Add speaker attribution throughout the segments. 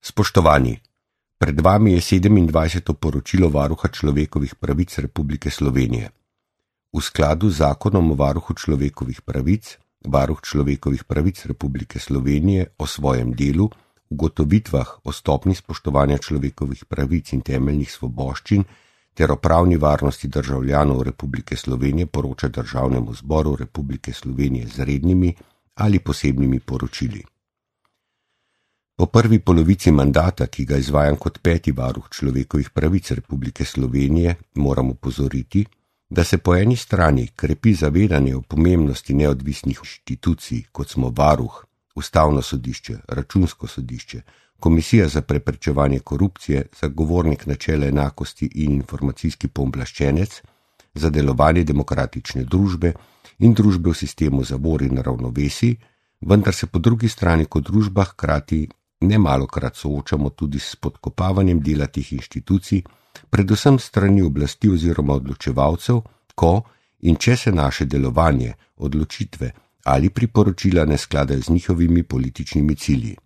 Speaker 1: Spoštovani, pred vami je 27. poročilo Varuha človekovih pravic Republike Slovenije. V skladu z Zakonom o varuhu človekovih pravic, Varuh človekovih pravic Republike Slovenije o svojem delu, ugotovitvah o stopnji spoštovanja človekovih pravic in temeljnih svoboščin ter o pravni varnosti državljanov Republike Slovenije poroča Državnemu zboru Republike Slovenije z rednimi ali posebnimi poročili. Po prvi polovici mandata, ki ga izvajam kot 5. varuh človekovih pravic Republike Slovenije, moram opozoriti, da se po eni strani krepi zavedanje o pomembnosti neodvisnih inštitucij, kot smo Varuh, Ustavno sodišče, Računsko sodišče, Komisija za preprečevanje korupcije, Zagovornik načela enakosti in Informacijski pooblaščenec za delovanje demokratične družbe in družbe v sistemu zavor in ravnovesij, vendar se po drugi strani kot družba hkrati nemalokrat soočamo tudi s podkopavanjem dela teh inštitucij, predvsem strani oblasti oziroma odločevalcev, ko in če se naše delovanje, odločitve ali priporočila ne skladajo z njihovimi političnimi cilji.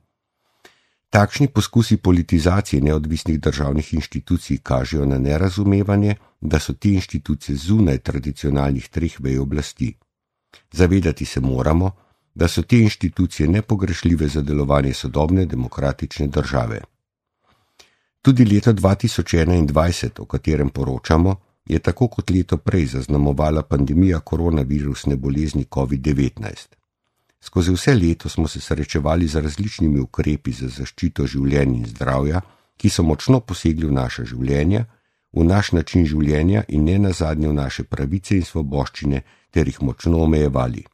Speaker 1: Takšni poskusi politizacije neodvisnih državnih inštitucij kažejo na nerazumevanje, da so te inštitucije zunaj tradicionalnih 3 vej oblasti. Zavedati se moramo, da so te inštitucije nepogrešljive za delovanje sodobne demokratične države. Tudi leto 2021, o katerem poročamo, je tako kot leto prej zaznamovala pandemija koronavirusne bolezni COVID-19. Skozi vse leto smo se srečevali z različnimi ukrepi za zaščito življenj in zdravja, ki so močno posegli v naša življenja, v naš način življenja in ne nazadnje v naše pravice in svoboščine ter jih močno omejevali.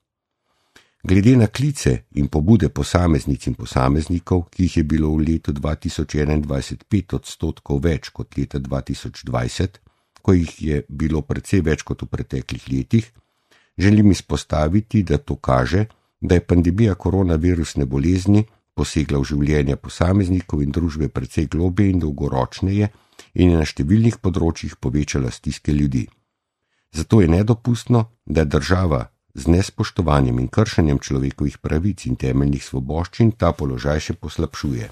Speaker 1: Glede na klice in pobude posameznic in posameznikov, ki jih je bilo v letu 2021 5% več kot leta 2020, ko jih je bilo precej več kot v preteklih letih, želim izpostaviti, da to kaže, da je pandemija koronavirusne bolezni posegla v življenja posameznikov in družbe precej globje in dolgoročneje in je na številnih področjih povečala stiske ljudi. Zato je nedopustno, da država z nespoštovanjem in kršenjem človekovih pravic in temeljnih svoboščin ta položaj še poslabšuje.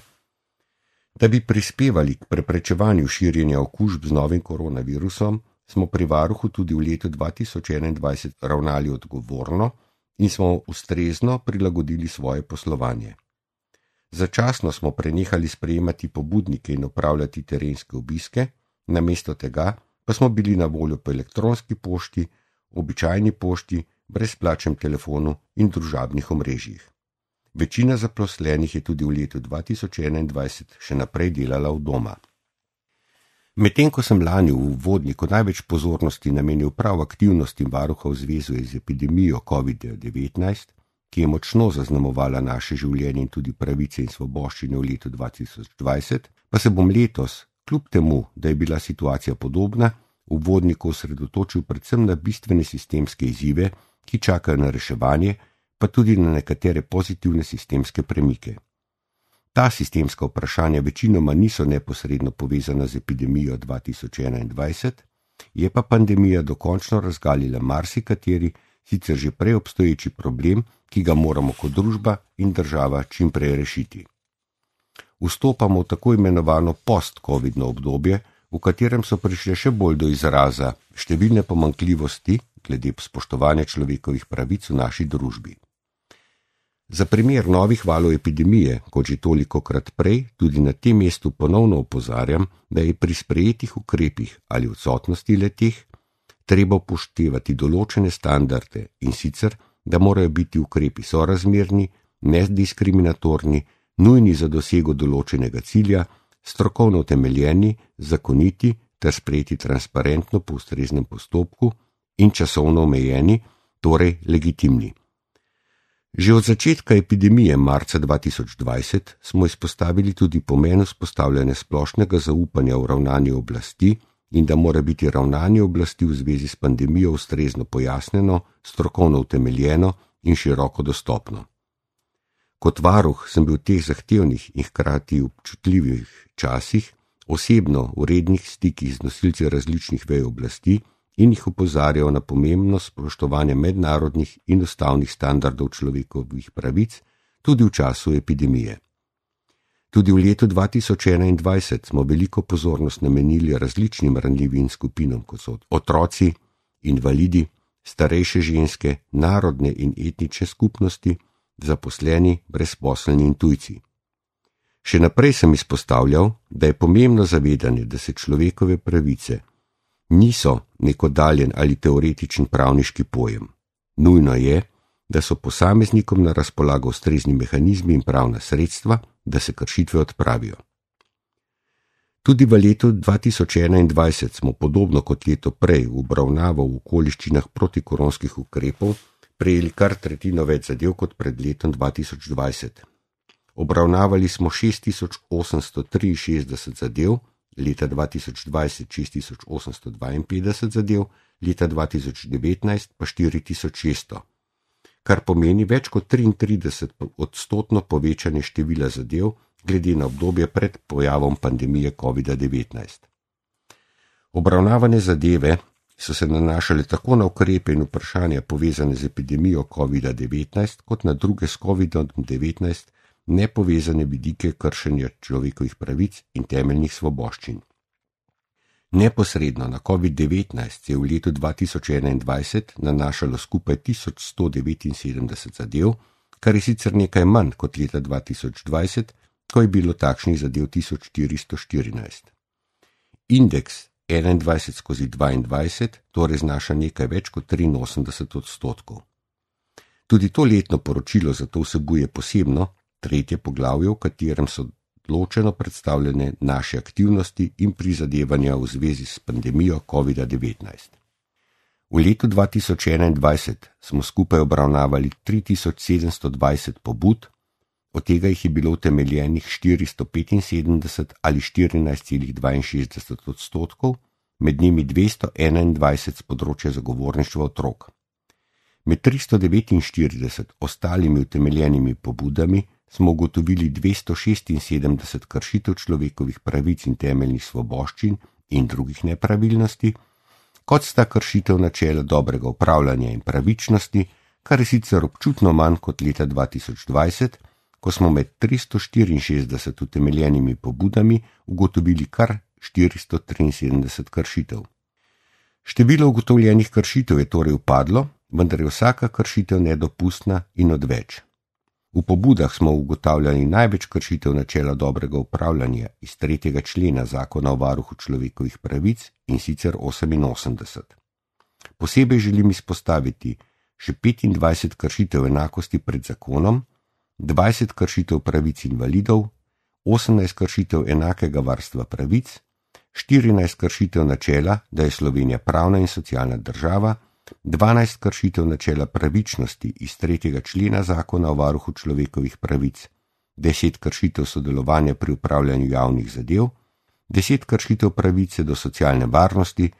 Speaker 1: Da bi prispevali k preprečevanju širjenja okužb z novim koronavirusom, smo pri varuhu tudi v letu 2021 ravnali odgovorno in smo ustrezno prilagodili svoje poslovanje. Začasno smo prenehali sprejemati pobudnike in opravljati terenske obiske, namesto tega pa smo bili na voljo po elektronski pošti, običajni pošti, brezplačnem telefonu in družabnih omrežjih. Večina zaposlenih je tudi v letu 2021 še naprej delala od doma. Medtem ko sem lani v uvodniku največ pozornosti namenil prav aktivnostim varuha v zvezi z epidemijo COVID-19, ki je močno zaznamovala naše življenje in tudi pravice in svoboščine v letu 2020, pa se bom letos, kljub temu, da je bila situacija podobna, v uvodniku osredotočil predvsem na bistvene sistemske izzive, ki čakajo na reševanje, pa tudi na nekatere pozitivne sistemske premike. Ta sistemska vprašanja večinoma niso neposredno povezana z epidemijo 2021, je pa pandemija dokončno razgalila marsikateri, sicer že prej obstoječi problem, ki ga moramo kot družba in država čim prej rešiti. Vstopamo v tako imenovano post-covidno obdobje, v katerem so prišle še bolj do izraza številne pomanjkljivosti glede spoštovanja človekovih pravic v naši družbi. Za primer novih valov epidemije, kot že tolikokrat prej, tudi na tem mestu ponovno opozarjam, da je pri sprejetih ukrepih ali odsotnosti le-teh treba upoštevati določene standarde in sicer, da morajo biti ukrepi sorazmerni, nediskriminatorni, nujni za dosego določenega cilja, strokovno utemeljeni, zakoniti ter sprejeti transparentno po ustreznem postopku in časovno omejeni, torej legitimni. Že od začetka epidemije marca 2020 smo izpostavili tudi pomen vzpostavljanja splošnega zaupanja v ravnanje oblasti in da mora biti ravnanje oblasti v zvezi s pandemijo ustrezno pojasnjeno, strokovno utemeljeno in široko dostopno. Kot varuh sem bil v teh zahtevnih in hkrati občutljivih časih osebno v rednih stikih z nosilci različnih vej oblasti in jih opozarjal na pomembnost spoštovanja mednarodnih in ustavnih standardov človekovih pravic tudi v času epidemije. Tudi v letu 2021 smo veliko pozornost namenili različnim ranljivim skupinam, kot so otroci, invalidi, starejše ženske, narodne in etnične skupnosti, zaposleni, brezposelni in tujci. Še naprej sem izpostavljal, da je pomembno zavedanje, da se človekove pravice niso nek oddaljen ali teoretičen pravniški pojem. Nujno je, da so posameznikom na razpolago ustrezni mehanizmi in pravna sredstva, da se kršitve odpravijo. Tudi v letu 2021 smo podobno kot leto prej v obravnavo v okoliščinah protikoronskih ukrepov prejeli kar tretjino več zadev kot pred letom 2020. Obravnavali smo 6863 zadev, leta 2020 6852 zadev, leta 2019 pa 4600, kar pomeni več kot 33% povečanje števila zadev glede na obdobje pred pojavom pandemije COVID-19. Obravnavane zadeve so se nanašale tako na ukrepe in vprašanja povezane z epidemijo COVID-19 kot na druge s COVID-19 nepovezane vidike kršenja človekovih pravic in temeljnih svoboščin. Neposredno na COVID-19 se je v letu 2021 nanašalo skupaj 1179 zadev, kar je sicer nekaj manj kot leta 2020, ko je bilo takšnih zadev 1414. Indeks 21/22 torej znaša nekaj več kot 83%. Tudi to letno poročilo zato vsebuje posebno, tretje poglavje, v katerem so ločeno predstavljene naše aktivnosti in prizadevanja v zvezi s pandemijo COVID-19. V letu 2021 smo skupaj obravnavali 3720 pobud, od tega jih je bilo utemeljenih 475 ali 14,62%, med njimi 221 z področja zagovorništva otrok. Med 349 ostalimi utemeljenimi pobudami smo ugotovili 276 kršitev človekovih pravic in temeljnih svoboščin in drugih nepravilnosti, kot sta kršitev načela dobrega upravljanja in pravičnosti, kar je sicer občutno manj kot leta 2020, ko smo med 364 utemeljenimi pobudami ugotovili kar 473 kršitev. Število ugotovljenih kršitev je torej upadlo, vendar je vsaka kršitev nedopustna in odveč. V pobudah smo ugotavljali največ kršitev načela dobrega upravljanja iz 3. člena Zakona o varuhu človekovih pravic, in sicer 88. Posebej želim izpostaviti še 25 kršitev enakosti pred zakonom, 20 kršitev pravic invalidov, 18 kršitev enakega varstva pravic, 14 kršitev načela, da je Slovenija pravna in socialna država, 12 kršitev načela pravičnosti iz 3. člena Zakona o varuhu človekovih pravic, 10 kršitev sodelovanja pri upravljanju javnih zadev, 10 kršitev pravice do socialne varnosti,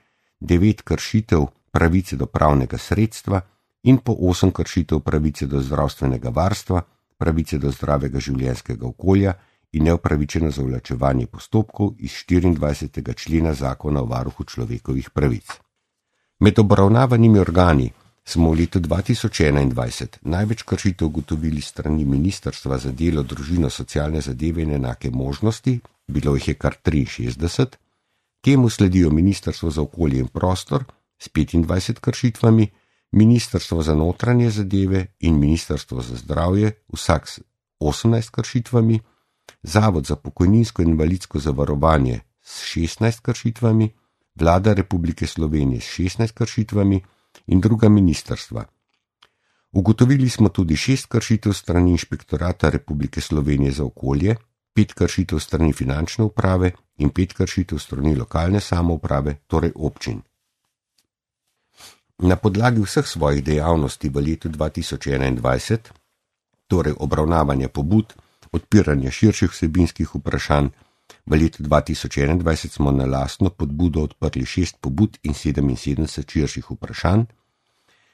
Speaker 1: 9 kršitev pravice do pravnega sredstva in po 8 kršitev pravice do zdravstvenega varstva, pravice do zdravega življenjskega okolja in neupravičeno zavlačevanje postopkov iz 24. člena Zakona o varuhu človekovih pravic. Med obravnavanimi organi smo v letu 2021 največ kršitev ugotovili strani Ministrstva za delo, družino, socialne zadeve in enake možnosti, bilo jih je kar 63, temu sledijo Ministrstvo za okolje in prostor s 25 kršitvami, Ministrstvo za notranje zadeve in Ministrstvo za zdravje vsak s 18 kršitvami, Zavod za pokojninsko in invalidsko zavarovanje s 16 kršitvami, Vlada Republike Slovenije s 16 kršitvami in druga ministrstva. Ugotovili smo tudi 6 kršitev strani Inšpektorata Republike Slovenije za okolje, 5 kršitev strani finančne uprave in 5 kršitev strani lokalne samouprave, torej občin. Na podlagi vseh svojih dejavnosti v letu 2021, torej obravnavanja pobud, odpiranja širših vsebinskih vprašanj, v letu 2021 smo na lastno podbudo odprli 6 pobud in 77 širših vprašanj,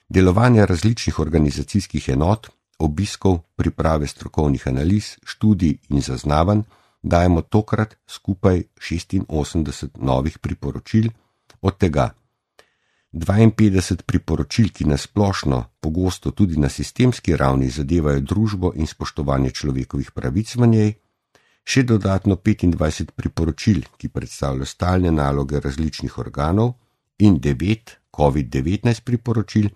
Speaker 1: delovanja različnih organizacijskih enot, obiskov, priprave strokovnih analiz, študij in zaznavanj, dajemo tokrat skupaj 86 novih priporočil, od tega 52 priporočil, ki nasplošno pogosto tudi na sistemski ravni zadevajo družbo in spoštovanje človekovih pravic v njej, še dodatno 25 priporočil, ki predstavljajo stalne naloge različnih organov, in 9 COVID-19 priporočil,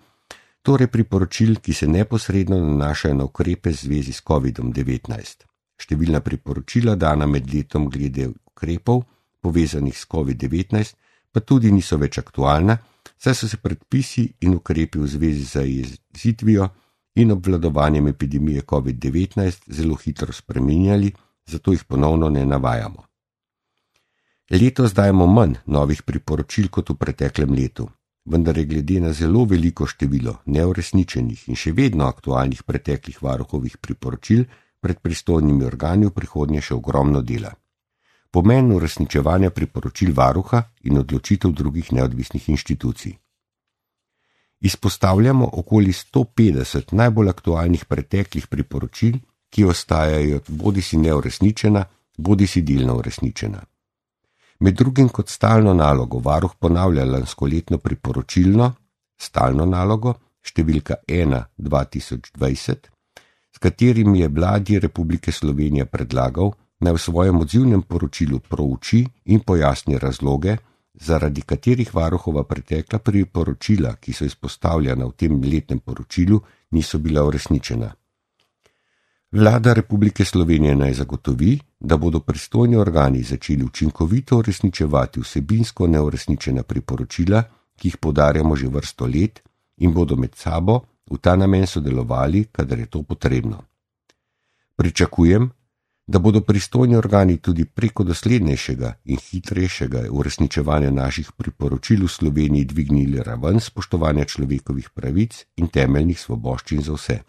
Speaker 1: torej priporočil, ki se neposredno nanašajo na ukrepe v zvezi s COVID-19. Številna priporočila dana med letom glede ukrepov, povezanih s COVID-19, pa tudi niso več aktualna, saj so se predpisi in ukrepi v zvezi z zajezitvijo in obvladovanjem epidemije COVID-19 zelo hitro spreminjali, zato jih ponovno ne navajamo. Letos dajemo manj novih priporočil kot v preteklem letu, vendar je glede na zelo veliko število neuresničenih in še vedno aktualnih preteklih varuhovih priporočil pred pristojnimi organi v prihodnje še ogromno dela. Pomen uresničevanja priporočil varuha in odločitev drugih neodvisnih inštitucij. Izpostavljamo okoli 150 najbolj aktualnih preteklih priporočil, ki ostajajo bodisi neuresničena, bodisi delno uresničena. Med drugim kot stalno nalogo varuh ponavlja lanskoletno priporočilno, stalno nalogo, številka 1/2020, s katerim je Vladi Republike Slovenije predlagal, naj v svojem odzivnem poročilu prouči in pojasni razloge, zaradi katerih varuhova pretekla priporočila, ki so izpostavljena v tem letnem poročilu, niso bila uresničena. Vlada Republike Slovenije naj zagotovi, da bodo pristojni organi začeli učinkovito uresničevati vsebinsko neuresničena priporočila, ki jih poudarjamo že vrsto let, in bodo med sabo v ta namen sodelovali, kadar je to potrebno. Pričakujem, da bodo pristojni organi tudi preko doslednejšega in hitrejšega uresničevanja naših priporočil v Sloveniji dvignili raven spoštovanja človekovih pravic in temeljnih svoboščin za vse.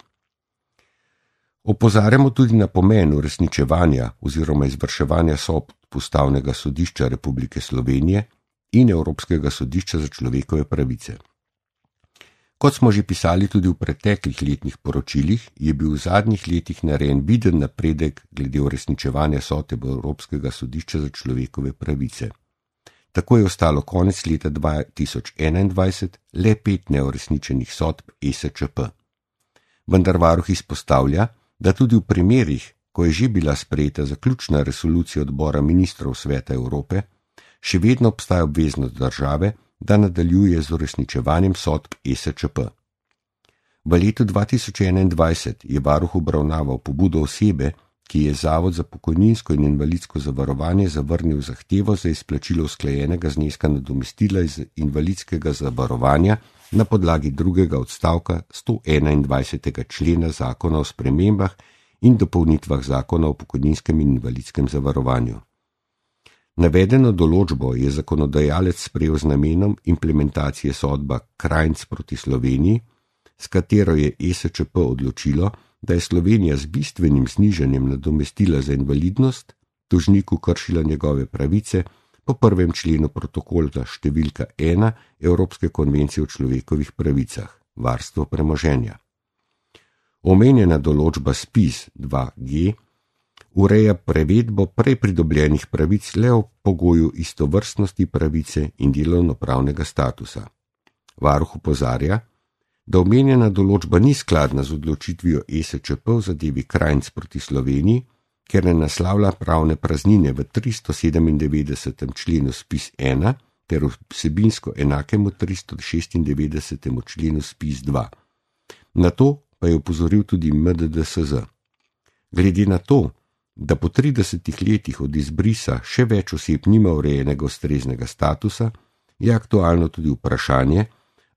Speaker 1: Opozarjamo tudi na pomen uresničevanja oziroma izvrševanja sodb Ustavnega sodišča Republike Slovenije in Evropskega sodišča za človekove pravice. Kot smo že pisali tudi v preteklih letnih poročilih, je bil v zadnjih letih narejen viden napredek glede uresničevanja sodb Evropskega sodišča za človekove pravice. Tako je ostalo konec leta 2021 le 5 neuresničenih sodb ESČP. Vendar varuh izpostavlja, da tudi v primerih, ko je že bila sprejeta zaključna resolucija odbora ministrov Sveta Evrope, še vedno obstaja obveznost države, da nadaljuje z uresničevanjem sodb ESČP. V letu 2021 je varuh obravnaval pobudo osebe, ki je Zavod za pokojninsko in invalidsko zavarovanje zavrnil zahtevo za izplačilo usklajenega zneska nadomestila iz invalidskega zavarovanja na podlagi drugega odstavka 121. člena Zakona o spremembah in dopolnitvah Zakona o pokojninskem in invalidskem zavarovanju. Navedeno določbo je zakonodajalec sprejel z namenom implementacije sodba Krajnc proti Sloveniji, s katero je ESČP odločilo, da je Slovenija z bistvenim znižanjem nadomestila za invalidnost tožniku kršila njegove pravice po 1. členu protokola številka 1 Evropske konvencije o človekovih pravicah, varstvo premoženja. Omenjena določba SPIZ 2G ureja prevedbo prej pridobljenih pravic le o pogoju istovrstnosti pravice in delovnopravnega statusa. Varuh opozarja, da omenjena določba ni skladna z odločitvijo ESČP v zadevi Krajnc proti Sloveniji, ker ne naslavlja pravne praznine v 397. členu SPIZ 1 ter vsebinsko enakemu 396. členu SPIZ 2. Na to pa je opozoril tudi MDDSZ. Glede na to, da po 30 letih od izbrisa še več oseb nima urejenega ustreznega statusa, je aktualno tudi vprašanje,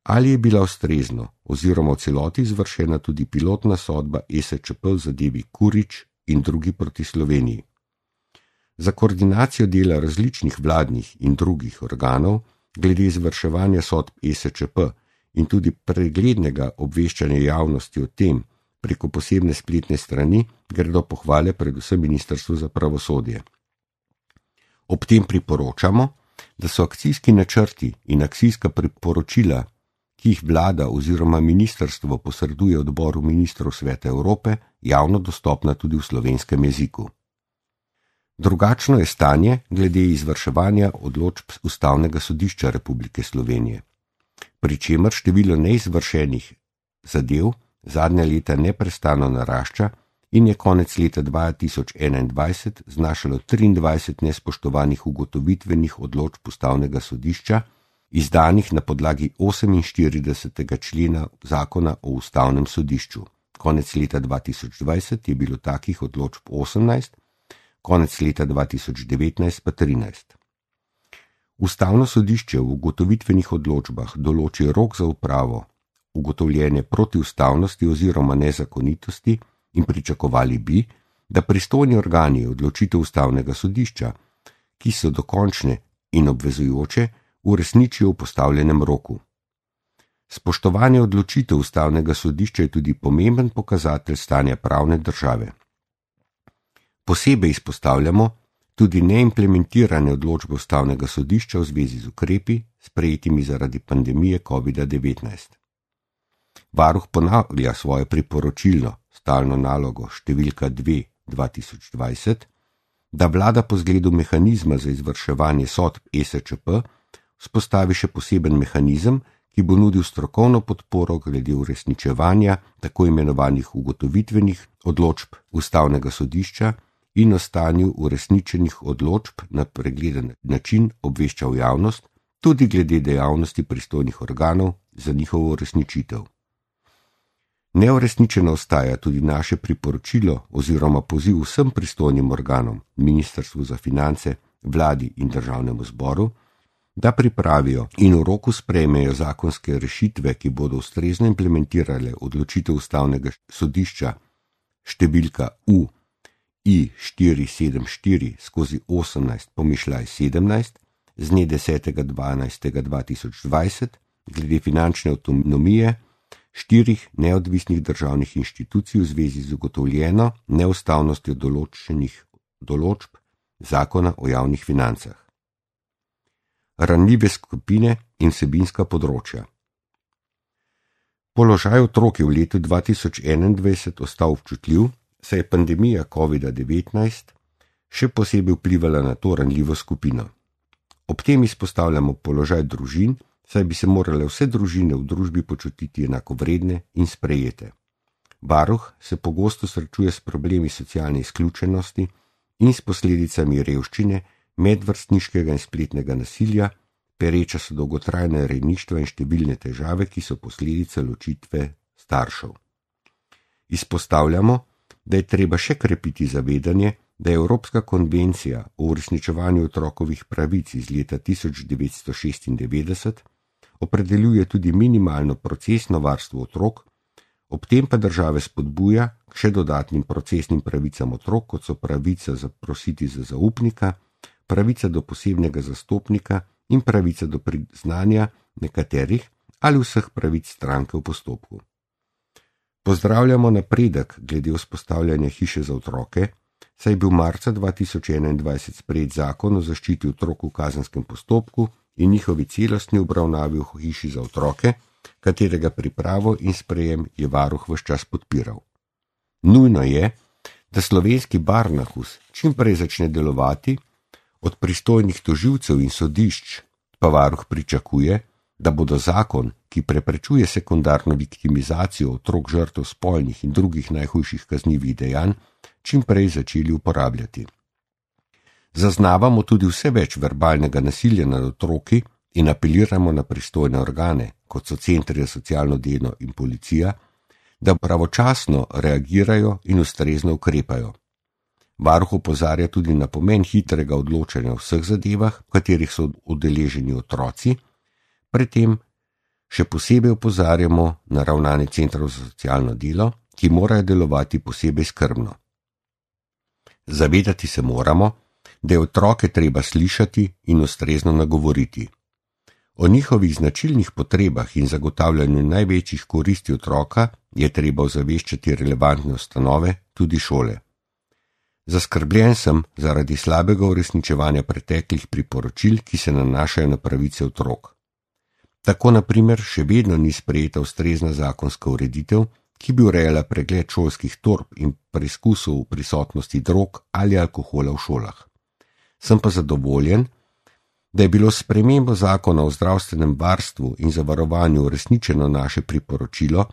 Speaker 1: ali je bila ustrezno oziroma v celoti izvršena tudi pilotna sodba ESČP v zadevi Kurič in drugi proti Sloveniji. Za koordinacijo dela različnih vladnih in drugih organov glede izvrševanja sodb ESČP in tudi preglednega obveščanja javnosti o tem preko posebne spletne strani gredo pohvale predvsem Ministrstvu za pravosodje. Ob tem priporočamo, da so akcijski načrti in akcijska priporočila, ki jih vlada oziroma ministrstvo posreduje odboru ministrov Sveta Evrope, javno dostopna tudi v slovenskem jeziku. Drugačno je stanje glede izvrševanja odločb Ustavnega sodišča Republike Slovenije, pri čemer število neizvršenih zadev zadnja leta neprestano narašča in je konec leta 2021 znašalo 23 nespoštovanih ugotovitvenih odločb Ustavnega sodišča, izdanih na podlagi 48. člena Zakona o Ustavnem sodišču. Konec leta 2020 je bilo takih odločb 18, konec leta 2019 pa 13. Ustavno sodišče v ugotovitvenih odločbah določi rok za upravo ugotovljene protiustavnosti oziroma nezakonitosti in pričakovali bi, da pristojni organi odločitev Ustavnega sodišča, ki so dokončne in obvezujoče, uresničijo v postavljenem roku. Spoštovanje odločitev Ustavnega sodišča je tudi pomemben pokazatelj stanja pravne države. Posebej izpostavljamo tudi neimplementirane odločbe Ustavnega sodišča v zvezi z ukrepi, sprejetimi zaradi pandemije COVID-19. Varuh ponavlja svojo priporočilno stalno nalogo številka 2/2020, da vlada po zgledu mehanizma za izvrševanje sodb ESČP vzpostavi še poseben mehanizem, ki bo nudil strokovno podporo glede uresničevanja tako imenovanih ugotovitvenih odločb Ustavnega sodišča in o stanju uresničenih odločb na pregleden način obveščal javnost, tudi glede dejavnosti pristojnih organov za njihovo uresničitev. Neuresničeno ostaja tudi naše priporočilo oziroma poziv vsem pristojnim organom, Ministrstvu za finance, vladi in državnemu zboru, da pripravijo in v roku sprejmejo zakonske rešitve, ki bodo ustrezno implementirale odločitev Ustavnega sodišča številka UI-474/18/17 z dne 10.12.2020 glede finančne avtonomije 4 neodvisnih državnih inštitucij v zvezi z ugotovljeno neustavnostjo določenih določb Zakona o javnih financah. Ranljive skupine in vsebinska področja. Položaj otrok je v letu 2021 ostal občutljiv, saj je pandemija COVID-19 še posebej vplivala na to ranljivo skupino. Ob tem izpostavljamo položaj družin, saj bi se morale vse družine v družbi počutiti enakovredne in sprejete. Varuh se pogosto srečuje s problemi socialne izključenosti in s posledicami revščine, medvrstniškega in spletnega nasilja, pereča so dolgotrajna rejništva in številne težave, ki so posledica ločitve staršev. Izpostavljamo, da je treba še krepiti zavedanje, da je Evropska konvencija o uresničevanju otrokovih pravic iz leta 1996 opredeljuje tudi minimalno procesno varstvo otrok, ob tem pa države spodbuja k še dodatnim procesnim pravicam otrok, kot so pravica zaprositi za zaupnika, pravica do posebnega zastopnika in pravica do priznanja nekaterih ali vseh pravic stranke v postopku. Pozdravljamo napredek glede vzpostavljanja hiše za otroke, saj je bil marca 2021 sprejet zakon o zaščiti otrok v kazenskem postopku in njihovi celostni obravnavi v hiši za otroke, katerega pripravo in sprejem je varuh ves čas podpiral. Nujno je, da slovenski Barnahus čim prej začne delovati, od pristojnih tožilcev in sodišč pa varuh pričakuje, da bodo zakon, ki preprečuje sekundarno viktimizacijo otrok žrtev spolnih in drugih najhujših kaznivih dejanj, čim prej začeli uporabljati. Zaznavamo tudi vse več verbalnega nasilja nad otroki in apeliramo na pristojne organe, kot so centri za socialno delo in policija, da pravočasno reagirajo in ustrezno ukrepajo. Varuh opozarja tudi na pomen hitrega odločanja o vseh zadevah, v katerih so udeleženi otroci, pri tem še posebej opozarjamo na ravnanje centrov za socialno delo, ki morajo delovati posebej skrbno. Zavedati se moramo, da je otroke treba slišati in ustrezno nagovoriti. O njihovih značilnih potrebah in zagotavljanju največjih koristi otroka je treba ozaveščati relevantne ustanove, tudi šole. Zaskrbljen sem zaradi slabega uresničevanja preteklih priporočil, ki se nanašajo na pravice otrok. Tako na primer še vedno ni sprejeta ustrezna zakonska ureditev, ki bi urejala pregled šolskih torb in preizkusov v prisotnosti drog ali alkohola v šolah. Sem pa zadovoljen, da je bilo s spremembo zakona o zdravstvenem varstvu in zavarovanju uresničeno naše priporočilo,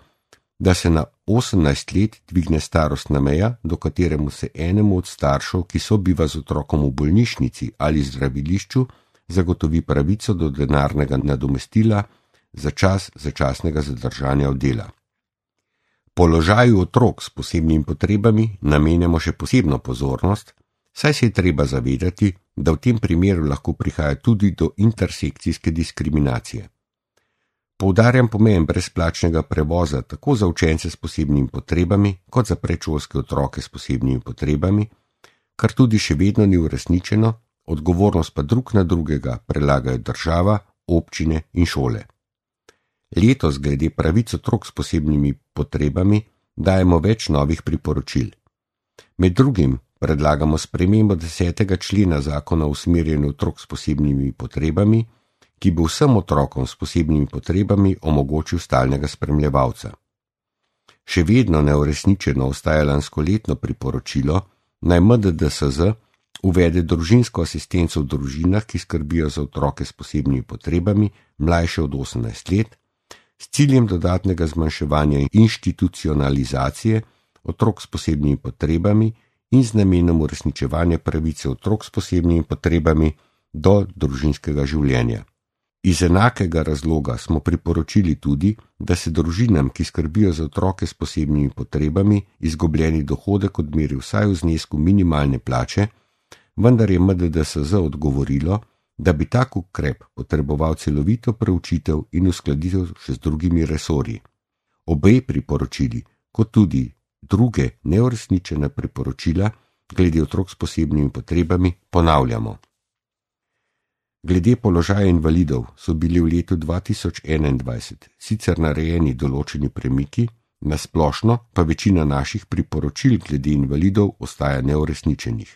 Speaker 1: da se na 18 let dvigne starostna meja, do kateremu se enemu od staršev, ki sobiva z otrokom v bolnišnici ali zdravilišču, zagotovi pravico do denarnega nadomestila za čas začasnega zadržanja od dela. Položaju otrok s posebnimi potrebami namenjamo še posebno pozornost, saj se je treba zavedati, da v tem primeru lahko prihaja tudi do intersekcijske diskriminacije. Poudarjam pomen brezplačnega prevoza tako za učence s posebnimi potrebami, kot za predšolske otroke s posebnimi potrebami, kar tudi še vedno ni uresničeno, odgovornost pa drug na drugega prelagajo država, občine in šole. Letos glede pravic otrok s posebnimi potrebami dajemo več novih priporočil. Med drugim predlagamo spremembo 10. člena zakona o usmerjanju otrok s posebnimi potrebami, ki bo vsem otrokom s posebnimi potrebami omogočil stalnega spremljevalca. Še vedno neuresničeno ostaja lanskoletno priporočilo, naj MDDSZ uvede družinsko asistenco v družinah, ki skrbijo za otroke s posebnimi potrebami, mlajše od 18 let, s ciljem dodatnega zmanjševanja institucionalizacije otrok s posebnimi potrebami in z namenom uresničevanja pravice otrok s posebnimi potrebami do družinskega življenja. Iz enakega razloga smo priporočili tudi, da se družinam, ki skrbijo za otroke s posebnimi potrebami, izgubljeni dohodek odmeri vsaj v znesku minimalne plače, vendar je MDDSZ odgovorilo, da bi tak ukrep potreboval celovito preučitev in uskladitev še z drugimi resorji. Obe priporočili, kot tudi druge neuresničene priporočila glede otrok s posebnimi potrebami ponavljamo. Glede položaja invalidov so bili v letu 2021 sicer narejeni določeni premiki, na splošno pa večina naših priporočil glede invalidov ostaja neuresničenih.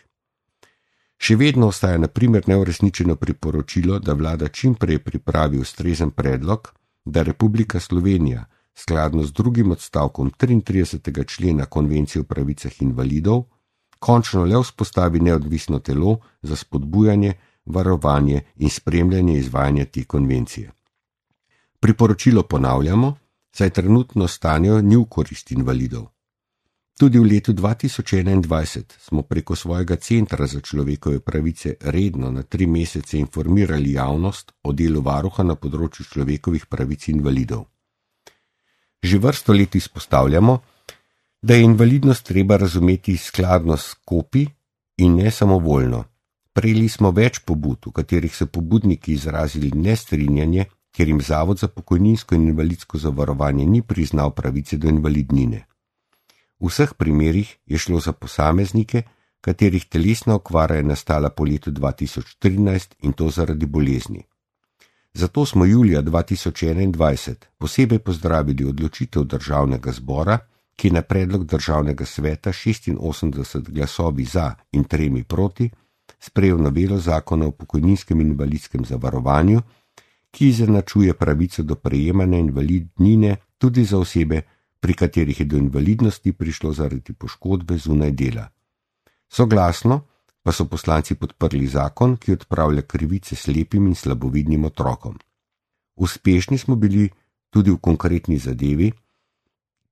Speaker 1: Še vedno ostaja na primer neuresničeno priporočilo, da vlada čim prej pripravi ustrezen predlog, da Republika Slovenija skladno z drugim odstavkom 33. člena Konvencije o pravicah invalidov končno le vzpostavi neodvisno telo za spodbujanje, varovanje in spremljanje izvajanja te konvencije. Priporočilo ponavljamo, saj trenutno stanje ni v korist invalidov. Tudi v letu 2021 smo preko svojega Centra za človekove pravice redno na 3 mesece informirali javnost o delu varuha na področju človekovih pravic invalidov. Že vrsto let izpostavljamo, da je invalidnost treba razumeti skladno s kopi in ne samovoljno. Prejeli smo več pobud, v katerih so pobudniki izrazili nestrinjanje, ker jim Zavod za pokojninsko in invalidsko zavarovanje ni priznal pravice do invalidnine. V vseh primerih je šlo za posameznike, katerih telesna okvara je nastala po letu 2013 in to zaradi bolezni. Zato smo julija 2021 posebej pozdravili odločitev Državnega zbora, ki je na predlog Državnega sveta 86 glasovi za in 3 proti sprejel novelo zakona o pokojninskem in invalidskem zavarovanju, ki izenačuje pravico do prejemanja invalidnine tudi za osebe, pri katerih je do invalidnosti prišlo zaradi poškodbe zunaj dela. Soglasno pa so poslanci podprli zakon, ki odpravlja krivice slepim in slabovidnim otrokom. Uspešni smo bili tudi v konkretni zadevi,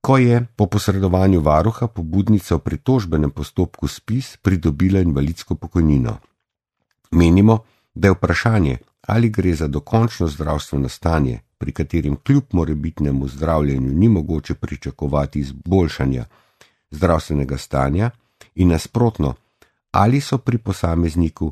Speaker 1: ko je po posredovanju varuha pobudnica v pritožbenem postopku SPIZ pridobila invalidsko pokojnino. Menimo, da je vprašanje, ali gre za dokončno zdravstveno stanje, pri katerem kljub morebitnemu zdravljenju ni mogoče pričakovati izboljšanja zdravstvenega stanja, in nasprotno, ali so pri posamezniku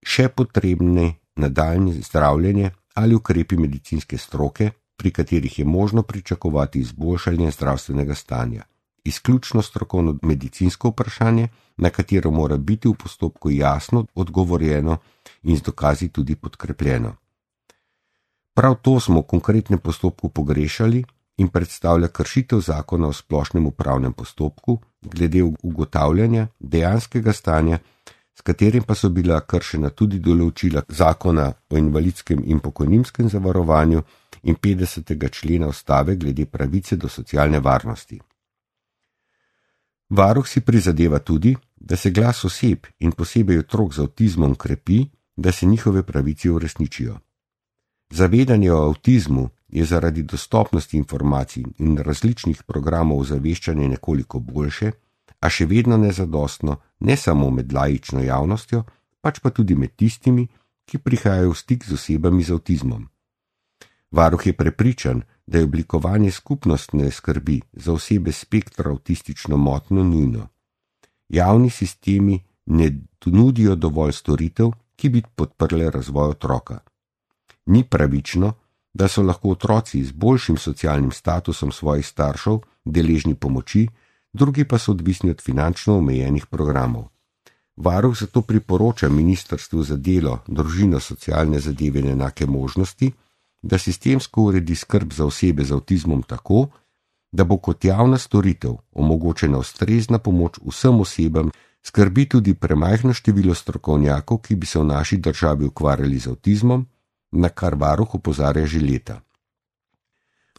Speaker 1: še potrebne nadaljnje zdravljenje ali ukrepi medicinske stroke, pri katerih je možno pričakovati izboljšanje zdravstvenega stanja. Izključno strokovno medicinsko vprašanje, na katero mora biti v postopku jasno odgovorjeno in z dokazi tudi podkrepljeno. Prav to smo v konkretnem postopku pogrešali in predstavlja kršitev zakona o splošnem upravnem postopku glede ugotavljanja dejanskega stanja, s katerim pa so bila kršena tudi določila zakona o invalidskem in pokojninskem zavarovanju in 50. člena Ustave glede pravice do socialne varnosti. Varuh si prizadeva tudi, da se glas oseb in posebej otrok z avtizmom krepi, da se njihove pravice uresničijo. Zavedanje o avtizmu je zaradi dostopnosti informacij in različnih programov ozaveščanja nekoliko boljše, a še vedno nezadostno, ne samo med laično javnostjo, pač pa tudi med tistimi, ki prihajajo v stik z osebami z avtizmom. Varuh je prepričan, da je oblikovanje skupnostne skrbi za osebe s spektra avtistično motnjo nujno. Javni sistemi ne nudijo dovolj storitev, ki bi podprle razvoj otroka. Ni pravično, da so lahko otroci z boljšim socialnim statusom svojih staršev deležni pomoči, drugi pa so odvisni od finančno omejenih programov. Varuh zato priporoča Ministrstvu za delo, družino, socialne zadeve in enake možnosti, da sistemsko uredi skrb za osebe z avtizmom tako, da bo kot javna storitev omogočena ustrezna pomoč vsem osebam, skrbi tudi premajhno število strokovnjakov, ki bi se v naši državi ukvarjali z avtizmom, na kar varuh opozarja že leta.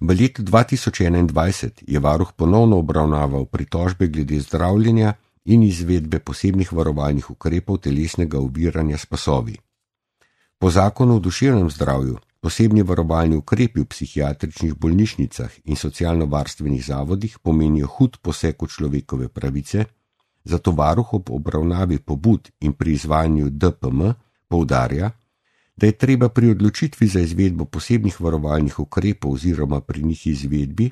Speaker 1: V letu 2021 je varuh ponovno obravnaval pritožbe glede zdravljenja in izvedbe posebnih varovalnih ukrepov telesnega oviranja s pasovi. Po zakonu o duševnem zdravju posebni varovalni ukrepi v psihiatričnih bolnišnicah in socialno-varstvenih zavodih pomenijo hud poseg v človekove pravice, zato varuh ob obravnavi pobud in pri izvajanju DPM poudarja, da je treba pri odločitvi za izvedbo posebnih varovalnih ukrepov oziroma pri njih izvedbi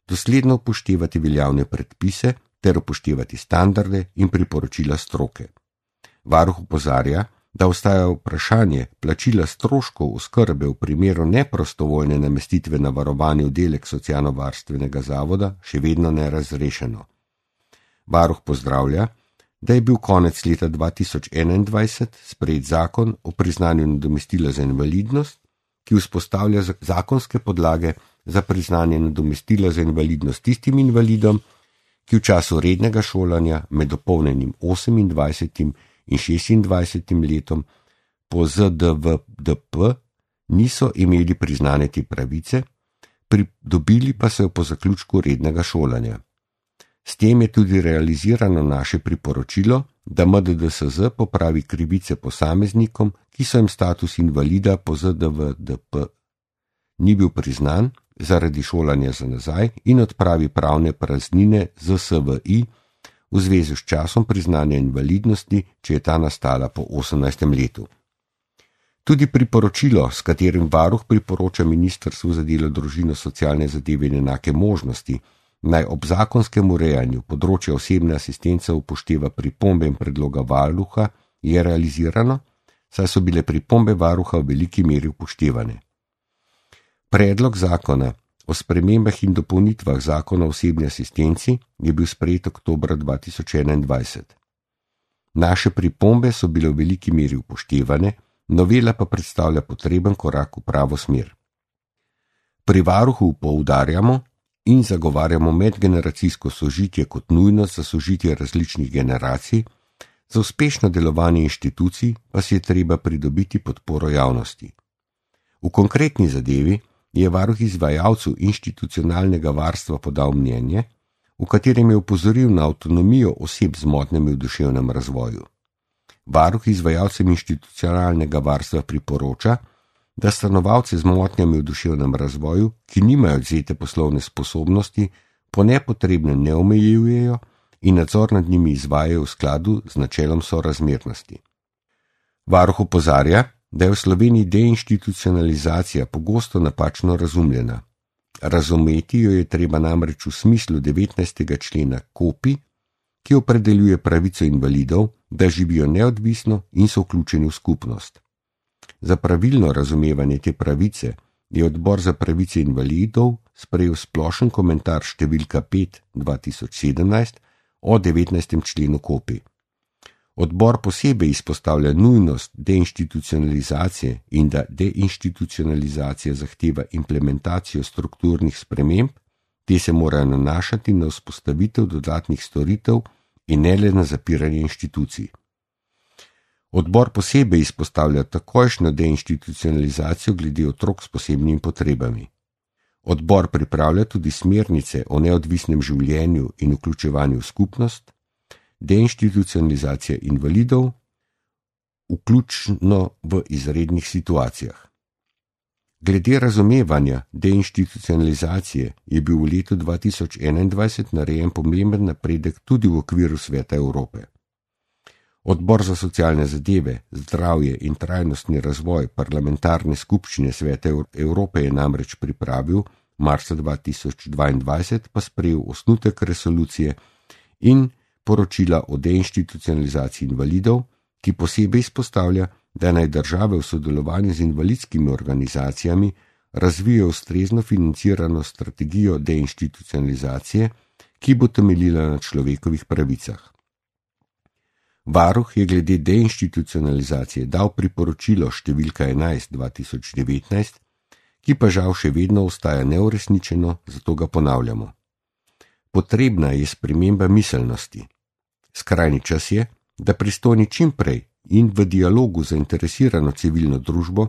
Speaker 1: dosledno upoštevati veljavne predpise ter upoštevati standarde in priporočila stroke. Varuh opozarja, da ostaja vprašanje plačila stroškov oskrbe v primeru neprostovoljne namestitve na varovani oddelek socialno-varstvenega zavoda še vedno nerazrešeno. Varuh pozdravlja, da je bil konec leta 2021 sprejet zakon o priznanju nadomestila za invalidnost, ki vzpostavlja zakonske podlage za priznanje nadomestila za invalidnost tistim invalidom, ki v času rednega šolanja med dopolnjenim 28. in 26. letom po ZDVDP niso imeli priznane te pravice, pridobili pa so jo po zaključku rednega šolanja. S tem je tudi realizirano naše priporočilo, da MDDSZ popravi krivice posameznikom, ki so jim status invalida po ZDVDP ni bil priznan zaradi šolanja za nazaj in odpravi pravne praznine ZSVI v zvezi s časom priznanja invalidnosti, če je ta nastala po 18. letu. Tudi priporočilo, s katerim varuh priporoča Ministrstvu za delo, družino, socialne zadeve in enake možnosti, naj ob zakonskem urejanju področja osebne asistence upošteva pripombe in predloga varuha, je realizirano, saj so bile pripombe varuha v veliki meri upoštevane. Predlog zakona o spremembah in dopolnitvah zakona o osebni asistenci je bil sprejet oktobra 2021. Naše pripombe so bile v veliki meri upoštevane, novela pa predstavlja potreben korak v pravo smer. Pri varuhu poudarjamo in zagovarjamo medgeneracijsko sožitje kot nujnost za sožitje različnih generacij, za uspešno delovanje inštitucij pa si je treba pridobiti podporo javnosti. V konkretni zadevi je varuh izvajalcu institucionalnega varstva podal mnenje, v katerem je opozoril na avtonomijo oseb z motnjami v duševnem razvoju. Varuh izvajalcem institucionalnega varstva priporoča, da stanovalce z motnjami v duševnem razvoju, ki nimajo odvzete poslovne sposobnosti, po nepotrebnem ne omejujejo in nadzor nad njimi izvajajo v skladu z načelom sorazmernosti. Varuh opozarja, da je v Sloveniji deinstitucionalizacija pogosto napačno razumljena. Razumeti jo je treba namreč v smislu 19. člena KOPI, ki opredeljuje pravico invalidov, da živijo neodvisno in so vključeni v skupnost. Za pravilno razumevanje te pravice je Odbor za pravice invalidov sprejel splošen komentar številka 5/2017 o 19. členu KOPI. Odbor posebej izpostavlja nujnost deinstitucionalizacije in da deinstitucionalizacija zahteva implementacijo strukturnih sprememb, te se morajo nanašati na vzpostavitev dodatnih storitev in ne le na zapiranje inštitucij. Odbor posebej izpostavlja takojšnjo deinstitucionalizacijo glede otrok s posebnimi potrebami. Odbor pripravlja tudi smernice o neodvisnem življenju in vključevanju v skupnost, deinstitucionalizacija invalidov, vključno v izrednih situacijah. Glede razumevanja deinstitucionalizacije je bil v letu 2021 narejen pomemben napredek tudi v okviru Sveta Evrope. Odbor za socialne zadeve, zdravje in trajnostni razvoj parlamentarne skupščine Sveta Evrope je namreč pripravil, marca 2022 pa sprejel osnutek resolucije in poročila o deinstitucionalizaciji invalidov, ki posebej izpostavlja, da naj države v sodelovanju z invalidskimi organizacijami razvijajo ustrezno financirano strategijo deinstitucionalizacije, ki bo temeljila na človekovih pravicah. Varuh je glede deinstitucionalizacije dal priporočilo številka 11/2019, ki pa žal še vedno ostaja neuresničeno, zato ga ponavljamo. Potrebna je sprememba miselnosti. Skrajni čas je, da pristojni čim prej in v dialogu z zainteresirano civilno družbo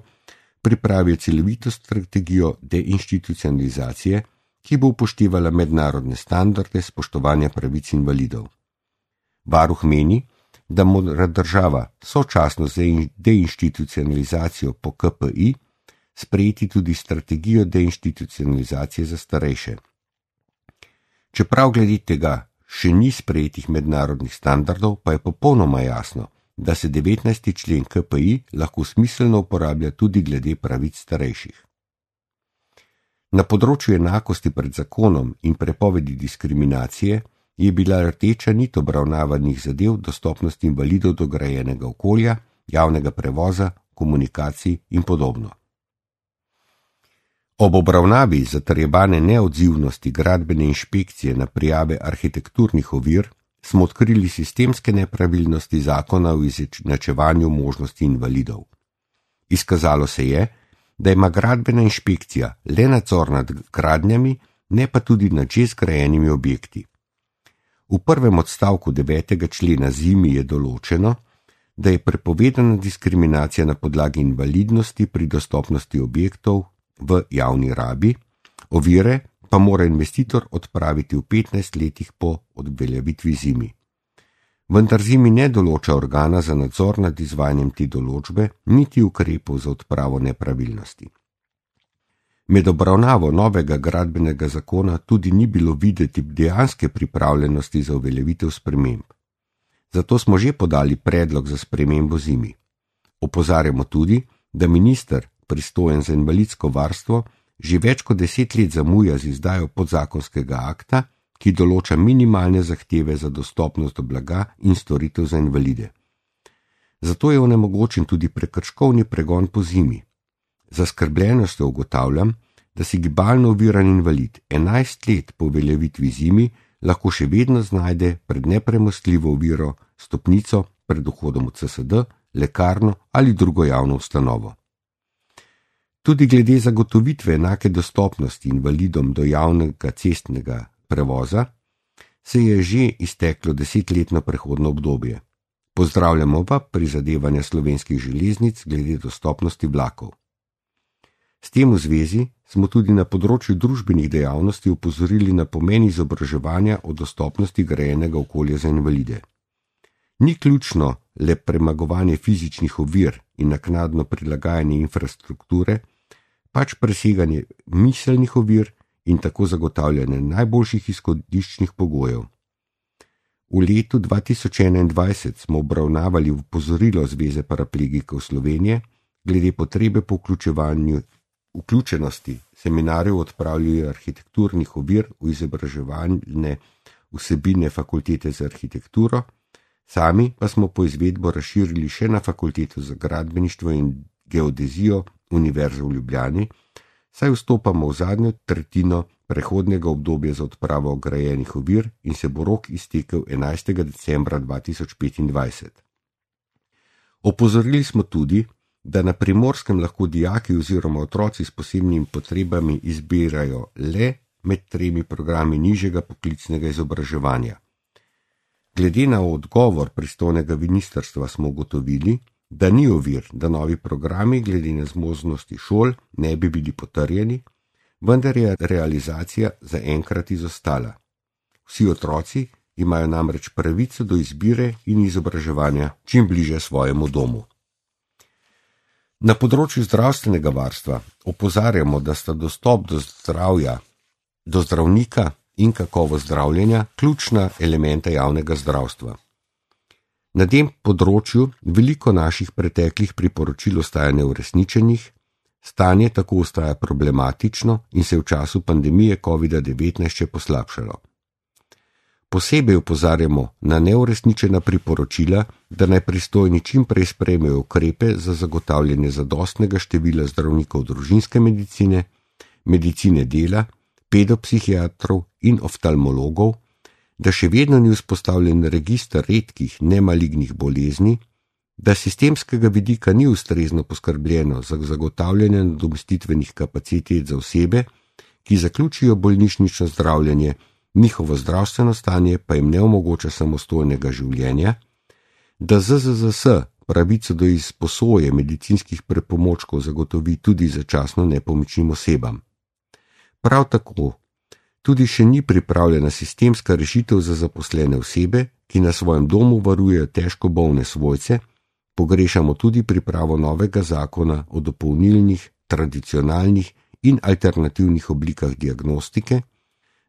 Speaker 1: pripravijo celovito strategijo deinstitucionalizacije, ki bo upoštevala mednarodne standarde spoštovanja pravic invalidov. Varuh meni, da mora država sočasno z deinstitucionalizacijo po KPI sprejeti tudi strategijo deinstitucionalizacije za starejše. Čeprav glede tega še ni sprejetih mednarodnih standardov, pa je popolnoma jasno, da se 19. člen KPI lahko smiselno uporablja tudi glede pravic starejših. Na področju enakosti pred zakonom in prepovedi diskriminacije je bila rdeča nit obravnavanih zadev dostopnosti invalidov do grajenega okolja, javnega prevoza, komunikacij in podobno. Ob obravnavi zatrjevane neodzivnosti gradbene inšpekcije na prijave arhitekturnih ovir smo odkrili sistemske nepravilnosti zakona o izenačevanju možnosti invalidov. Izkazalo se je, da ima gradbena inšpekcija le nadzor nad gradnjami, ne pa tudi nad že zgrajenimi objekti. V prvem odstavku 9. člena ZIMI je določeno, da je prepovedana diskriminacija na podlagi invalidnosti pri dostopnosti objektov v javni rabi, ovire pa mora investitor odpraviti v 15 letih po odveljavitvi ZIMI. Vendar ZIMI ne določa organa za nadzor nad izvajanjem te določbe, niti ukrepov za odpravo nepravilnosti. Med obravnavo novega gradbenega zakona tudi ni bilo videti dejanske pripravljenosti za uveljavitev sprememb. Zato smo že podali predlog za spremembo ZIMI. Opozarjamo tudi, da minister, pristojen za invalidsko varstvo, že več kot 10 let zamuja z izdajo podzakonskega akta, ki določa minimalne zahteve za dostopnost do blaga in storitev za invalide. Zato je onemogočen tudi prekrškovni pregon po ZIMI. Zaskrbljenostjo ugotavljam, da si gibalno oviran invalid 11 let po uveljavitvi ZIMI lahko še vedno znajde pred nepremostljivo oviro stopnico pred vhodom v CSD, lekarno ali drugo javno ustanovo. Tudi glede zagotovitve enake dostopnosti invalidom do javnega cestnega prevoza se je že izteklo 10-letno prehodno obdobje. Pozdravljamo pa prizadevanja Slovenskih železnic glede dostopnosti vlakov. S tem v zvezi smo tudi na področju družbenih dejavnosti opozorili na pomen izobraževanja o dostopnosti grajenega okolja za invalide. Ni ključno le premagovanje fizičnih ovir in naknadno prilagajanje infrastrukture, pač preseganje miselnih ovir in tako zagotavljanje najboljših izhodiščnih pogojev. V letu 2021 smo obravnavali opozorilo Zveze paraplegikov Slovenije glede potrebe po vključenosti seminarjev o odpravljanju arhitekturnih ovir v izobraževalne vsebine fakultete za arhitekturo, sami pa smo po izvedbo razširili še na fakulteto za gradbeništvo in geodezijo Univerze v Ljubljani, saj vstopamo v zadnjo tretjino prehodnega obdobja za odpravo ograjenih ovir in se bo rok iztekel 11. decembra 2025. Opozorili smo tudi, da na Primorskem lahko dijaki oziroma otroci s posebnimi potrebami izbirajo le med 3 programi nižjega poklicnega izobraževanja. Glede na odgovor pristojnega ministrstva smo ugotovili, da ni ovir, da novi programi glede na zmožnosti šol ne bi bili potrjeni, vendar je realizacija zaenkrat izostala. Vsi otroci imajo namreč pravico do izbire in izobraževanja čim bliže svojemu domu. Na področju zdravstvenega varstva opozarjamo, da sta dostop do zdravja, do zdravnika in kakovost zdravljenja ključna elementa javnega zdravstva. Na tem področju veliko naših preteklih priporočil ostaja neuresničenih, stanje tako ostaja problematično in se v času pandemije COVID-19 še poslabšalo. Posebej opozarjamo na neuresničena priporočila, da naj pristojni čim prej sprejmejo ukrepe za zagotavljanje zadostnega števila zdravnikov družinske medicine, medicine dela, pedopsihiatrov in oftalmologov, da še vedno ni vzpostavljen register redkih nemalignih bolezni, da sistemskega vidika ni ustrezno poskrbljeno za zagotavljanje nadomestitvenih kapacitet za osebe, ki zaključijo bolnišnično zdravljenje, njihovo zdravstveno stanje pa jim ne omogoča samostojnega življenja, da ZZZS pravico do izposoje medicinskih pripomočkov zagotovi tudi začasno nepomičnim osebam. Prav tako tudi še ni pripravljena sistemska rešitev za zaposlene osebe, ki na svojem domu varujejo težko bolne svojce, pogrešamo tudi pripravo novega zakona o dopolnilnih, tradicionalnih in alternativnih oblikah diagnostike,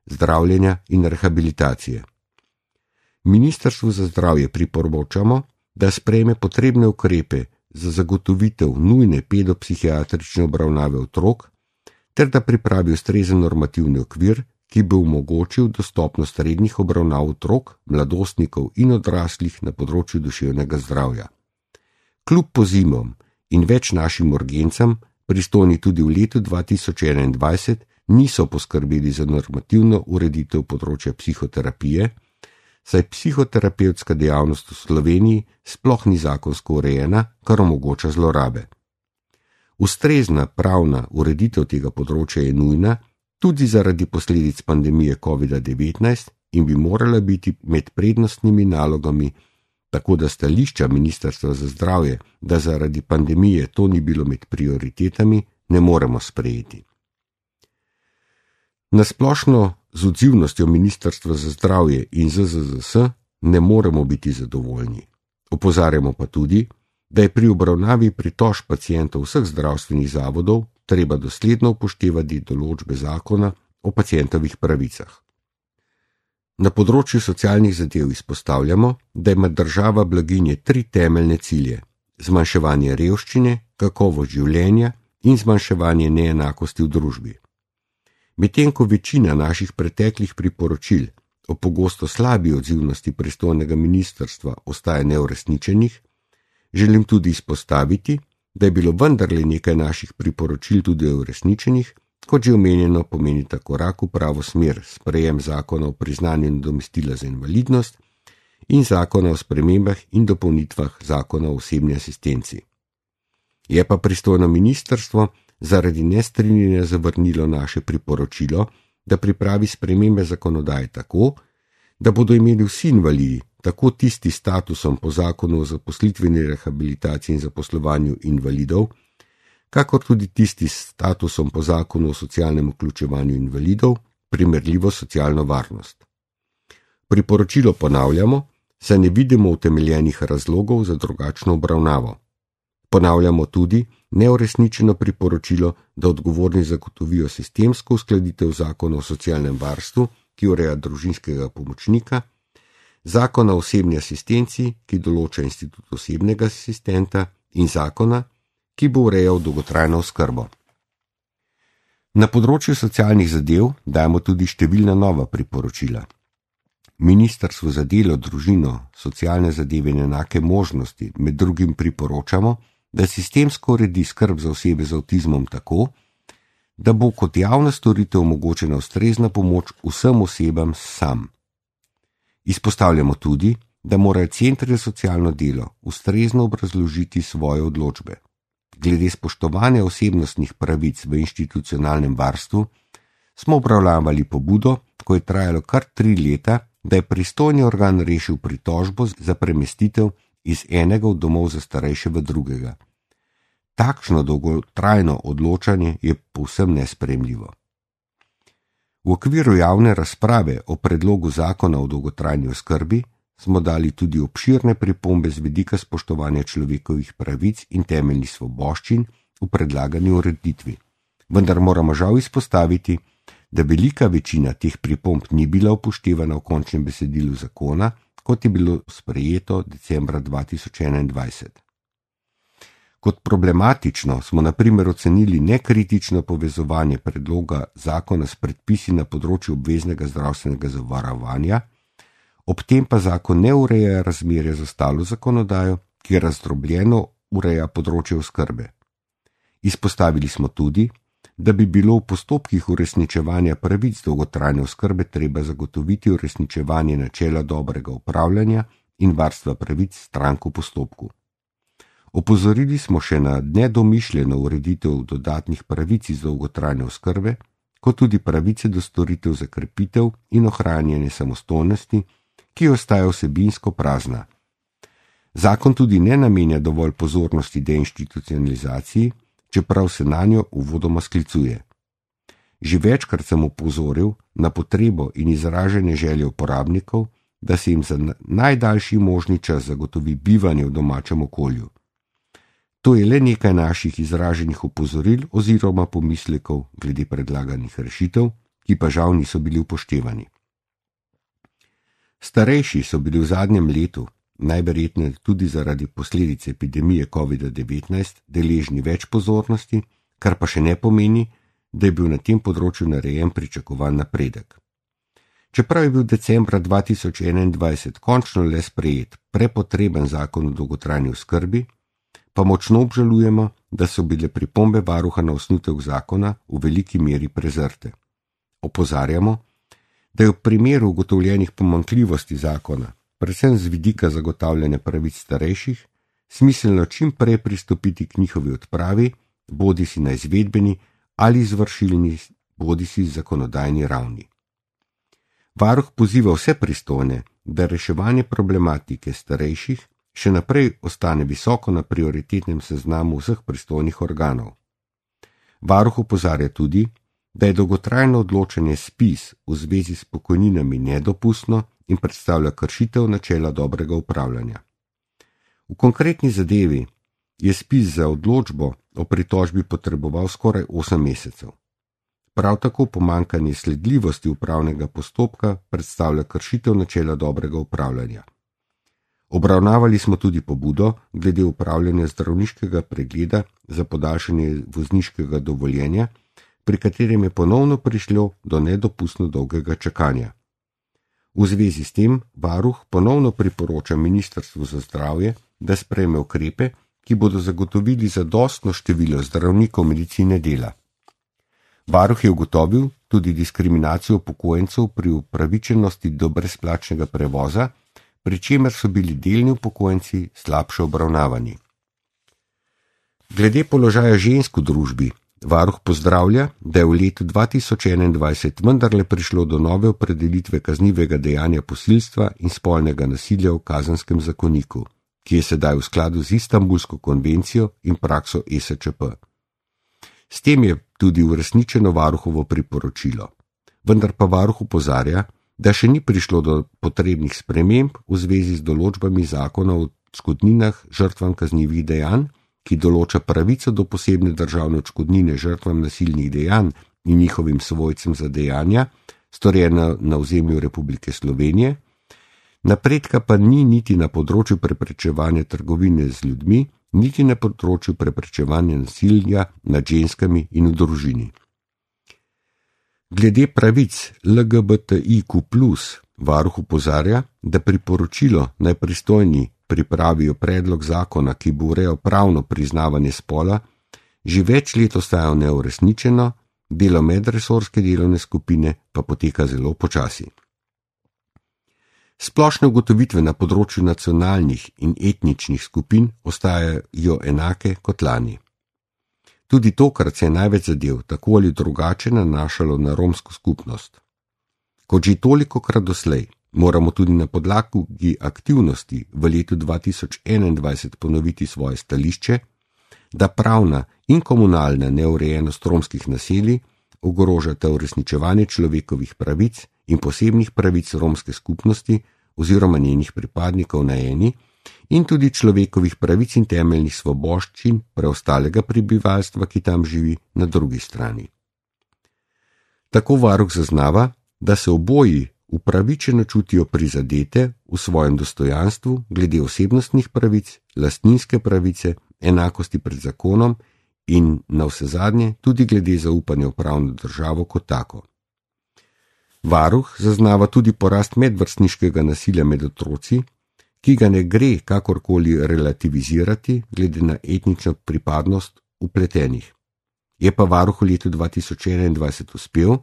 Speaker 1: zdravljenja in rehabilitacije. Ministrstvu za zdravje priporočamo, da sprejme potrebne ukrepe za zagotovitev nujne pedopsihiatrične obravnave otrok, ter da pripravi ustrezen normativni okvir, ki bi omogočil dostopnost rednih obravnav otrok, mladostnikov in odraslih na področju duševnega zdravja. Kljub pozivom in več našim urgencam, pristojni tudi v letu 2021 niso poskrbeli za normativno ureditev področja psihoterapije, saj psihoterapevtska dejavnost v Sloveniji sploh ni zakonsko urejena, kar omogoča zlorabe. Ustrezna pravna ureditev tega področja je nujna, tudi zaradi posledic pandemije COVID-19 in bi morala biti med prednostnimi nalogami, tako da stališča Ministrstva za zdravje, da zaradi pandemije to ni bilo med prioritetami, ne moremo sprejeti. Nasplošno z odzivnostjo Ministrstva za zdravje in ZZZS ne moremo biti zadovoljni. Opozarjamo pa tudi, da je pri obravnavi pritožb pacientov vseh zdravstvenih zavodov treba dosledno upoštevati določbe zakona o pacientovih pravicah. Na področju socialnih zadev izpostavljamo, da ima država blaginje 3 temeljne cilje: zmanjševanje revščine, kakovost življenja in zmanjševanje neenakosti v družbi. Medtem ko večina naših preteklih priporočil o pogosto slabi odzivnosti pristojnega ministrstva ostaja neuresničenih, želim tudi izpostaviti, da je bilo vendarle nekaj naših priporočil tudi uresničenih, kot že omenjeno pomenita korak v pravo smer sprejem zakona o priznanju nadomestila za invalidnost in zakona o spremembah in dopolnitvah zakona o osebni asistenci. Je pa pristojno ministrstvo zaradi nestrinjanja zavrnilo naše priporočilo, da pripravi spremembe zakonodaje tako, da bodo imeli vsi invalidi, tako tisti s statusom po zakonu o zaposlitveni rehabilitaciji in zaposlovanju invalidov, kakor tudi tisti s statusom po zakonu o socialnem vključevanju invalidov, primerljivo socialno varnost. Priporočilo ponavljamo, saj ne vidimo utemeljenih razlogov za drugačno obravnavo. Ponavljamo tudi neuresničeno priporočilo, da odgovorni zagotovijo sistemsko uskladitev zakona o socialnem varstvu, ki ureja družinskega pomočnika, zakona o osebni asistenci, ki določa institut osebnega asistenta in zakona, ki bo urejal dolgotrajno oskrbo. Na področju socialnih zadev dajemo tudi številna nova priporočila. Ministrstvu za delo, družino, socialne zadeve in enake možnosti med drugim priporočamo, da sistemsko uredi skrb za osebe z avtizmom tako, da bo kot javna storitev omogočena ustrezna pomoč vsem osebam sam. Izpostavljamo tudi, da morajo centri za socialno delo ustrezno obrazložiti svoje odločbe. Glede spoštovanja osebnostnih pravic v institucionalnem varstvu smo obravnavali pobudo, ko je trajalo kar 3 leta, da je pristojni organ rešil pritožbo za premestitev iz enega od domov za starejše v drugega. Takšno dolgotrajno odločanje je povsem nesprejemljivo. V okviru javne razprave o predlogu zakona o dolgotrajni oskrbi smo dali tudi obširne pripombe z vidika spoštovanja človekovih pravic in temeljnih svoboščin v predlagani ureditvi. Vendar moramo žal izpostaviti, da velika večina teh pripomb ni bila upoštevana v končnem besedilu zakona, kot je bilo sprejeto decembra 2021. Kot problematično smo na primer ocenili nekritično povezovanje predloga zakona s predpisi na področju obveznega zdravstvenega zavarovanja, ob tem pa zakon ne ureja razmerja z ostalo zakonodajo, ki razdrobljeno ureja področje oskrbe. Izpostavili smo tudi, da bi bilo v postopkih uresničevanja pravic dolgotrajne oskrbe treba zagotoviti uresničevanje načela dobrega upravljanja in varstva pravic strank v postopku. Opozorili smo še na nedomišljeno ureditev dodatnih pravic iz dolgotrajne oskrbe, kot tudi pravice do storitev za krepitev in ohranjanje samostojnosti, ki ostaja vsebinsko prazna. Zakon tudi ne namenja dovolj pozornosti deinstitucionalizaciji, čeprav se na njo uvodoma sklicuje. Že večkrat sem opozoril na potrebo in izražanje želje uporabnikov, da se jim za najdaljši možni čas zagotovi bivanje v domačem okolju. To je le nekaj naših izraženih opozoril oziroma pomislekov glede predlaganih rešitev, ki pa žal niso bili upoštevani. Starejši so bili v zadnjem letu, najverjetneje tudi zaradi posledic epidemije COVID-19, deležni več pozornosti, kar pa še ne pomeni, da je bil na tem področju narejen pričakovan napredek. Čeprav je bil decembra 2021 končno le sprejet prepotreben zakon o dolgotrajni oskrbi, pa močno obžalujemo, da so bile pripombe varuha na osnutek zakona v veliki meri prezrte. Opozarjamo, da je v primeru ugotovljenih pomanjkljivosti zakona, predvsem z vidika zagotavljanja pravic starejših, smiselno čim prej pristopiti k njihovi odpravi, bodisi na izvedbeni ali izvršilni, bodisi zakonodajni ravni. Varuh poziva vse pristojne, da reševanje problematike starejših še naprej ostane visoko na prioritetnem seznamu vseh pristojnih organov. Varuh opozarja tudi, da je dolgotrajno odločanje ZPIZ v zvezi s pokojninami nedopustno in predstavlja kršitev načela dobrega upravljanja. V konkretni zadevi je ZPIZ za odločbo o pritožbi potreboval skoraj 8 mesecev. Prav tako pomanjkanje sledljivosti upravnega postopka predstavlja kršitev načela dobrega upravljanja. Obravnavali smo tudi pobudo glede upravljanja zdravniškega pregleda za podaljšanje vozniškega dovoljenja, pri katerem je ponovno prišlo do nedopustno dolgega čakanja. V zvezi s tem varuh ponovno priporoča Ministrstvu za zdravje, da sprejme ukrepe, ki bodo zagotovili zadostno število zdravnikov medicine dela. Varuh je ugotovil tudi diskriminacijo upokojencev pri upravičenosti do brezplačnega prevoza, pri čemer so bili delni upokojenci slabše obravnavani. Glede položaja žensk v družbi, varuh pozdravlja, da je v letu 2021 vendarle prišlo do nove opredelitve kaznivega dejanja posilstva in spolnega nasilja v Kazenskem zakoniku, ki je sedaj v skladu z Istanbulsko konvencijo in prakso ESČP. S tem je tudi uresničeno varuhovo priporočilo, vendar pa varuh opozarja, da še ni prišlo do potrebnih sprememb v zvezi z določbami zakona o odškodninah žrtvam kaznivih dejanj, ki določa pravico do posebne državne odškodnine žrtvam nasilnih dejanj in njihovim svojcem za dejanja, storjena na ozemlju Republike Slovenije, napredka pa ni niti na področju preprečevanja trgovine z ljudmi, niti na področju preprečevanja nasilja nad ženskami in v družini. Glede pravic LGBTIQ+, varuh opozarja, da priporočilo naj pristojni pripravijo predlog zakona, ki bo urejal pravno priznavanje spola, že več let ostaja neuresničeno, delo medresorske delovne skupine pa poteka zelo počasi. Splošne ugotovitve na področju nacionalnih in etničnih skupin ostajajo enake kot lani. Tudi tokrat se je največ zadev tako ali drugače nanašalo na romsko skupnost. Kot že tolikokrat doslej, moramo tudi na podlagi aktivnosti v letu 2021 ponoviti svoje stališče, da pravna in komunalna neurejenost romskih naselij ogrožata uresničevanje človekovih pravic in posebnih pravic romske skupnosti oziroma njenih pripadnikov na eni in tudi človekovih pravic in temeljnih svoboščin preostalega prebivalstva, ki tam živi, na drugi strani. Tako varuh zaznava, da se oboji upravičeno čutijo prizadete v svojem dostojanstvu glede osebnostnih pravic, lastninske pravice, enakosti pred zakonom in navsezadnje tudi glede zaupanja v pravno državo kot tako. Varuh zaznava tudi porast medvrstniškega nasilja med otroci, ki ga ne gre kakorkoli relativizirati glede na etnično pripadnost vpletenih. Je pa varuh v letu 2021 uspel,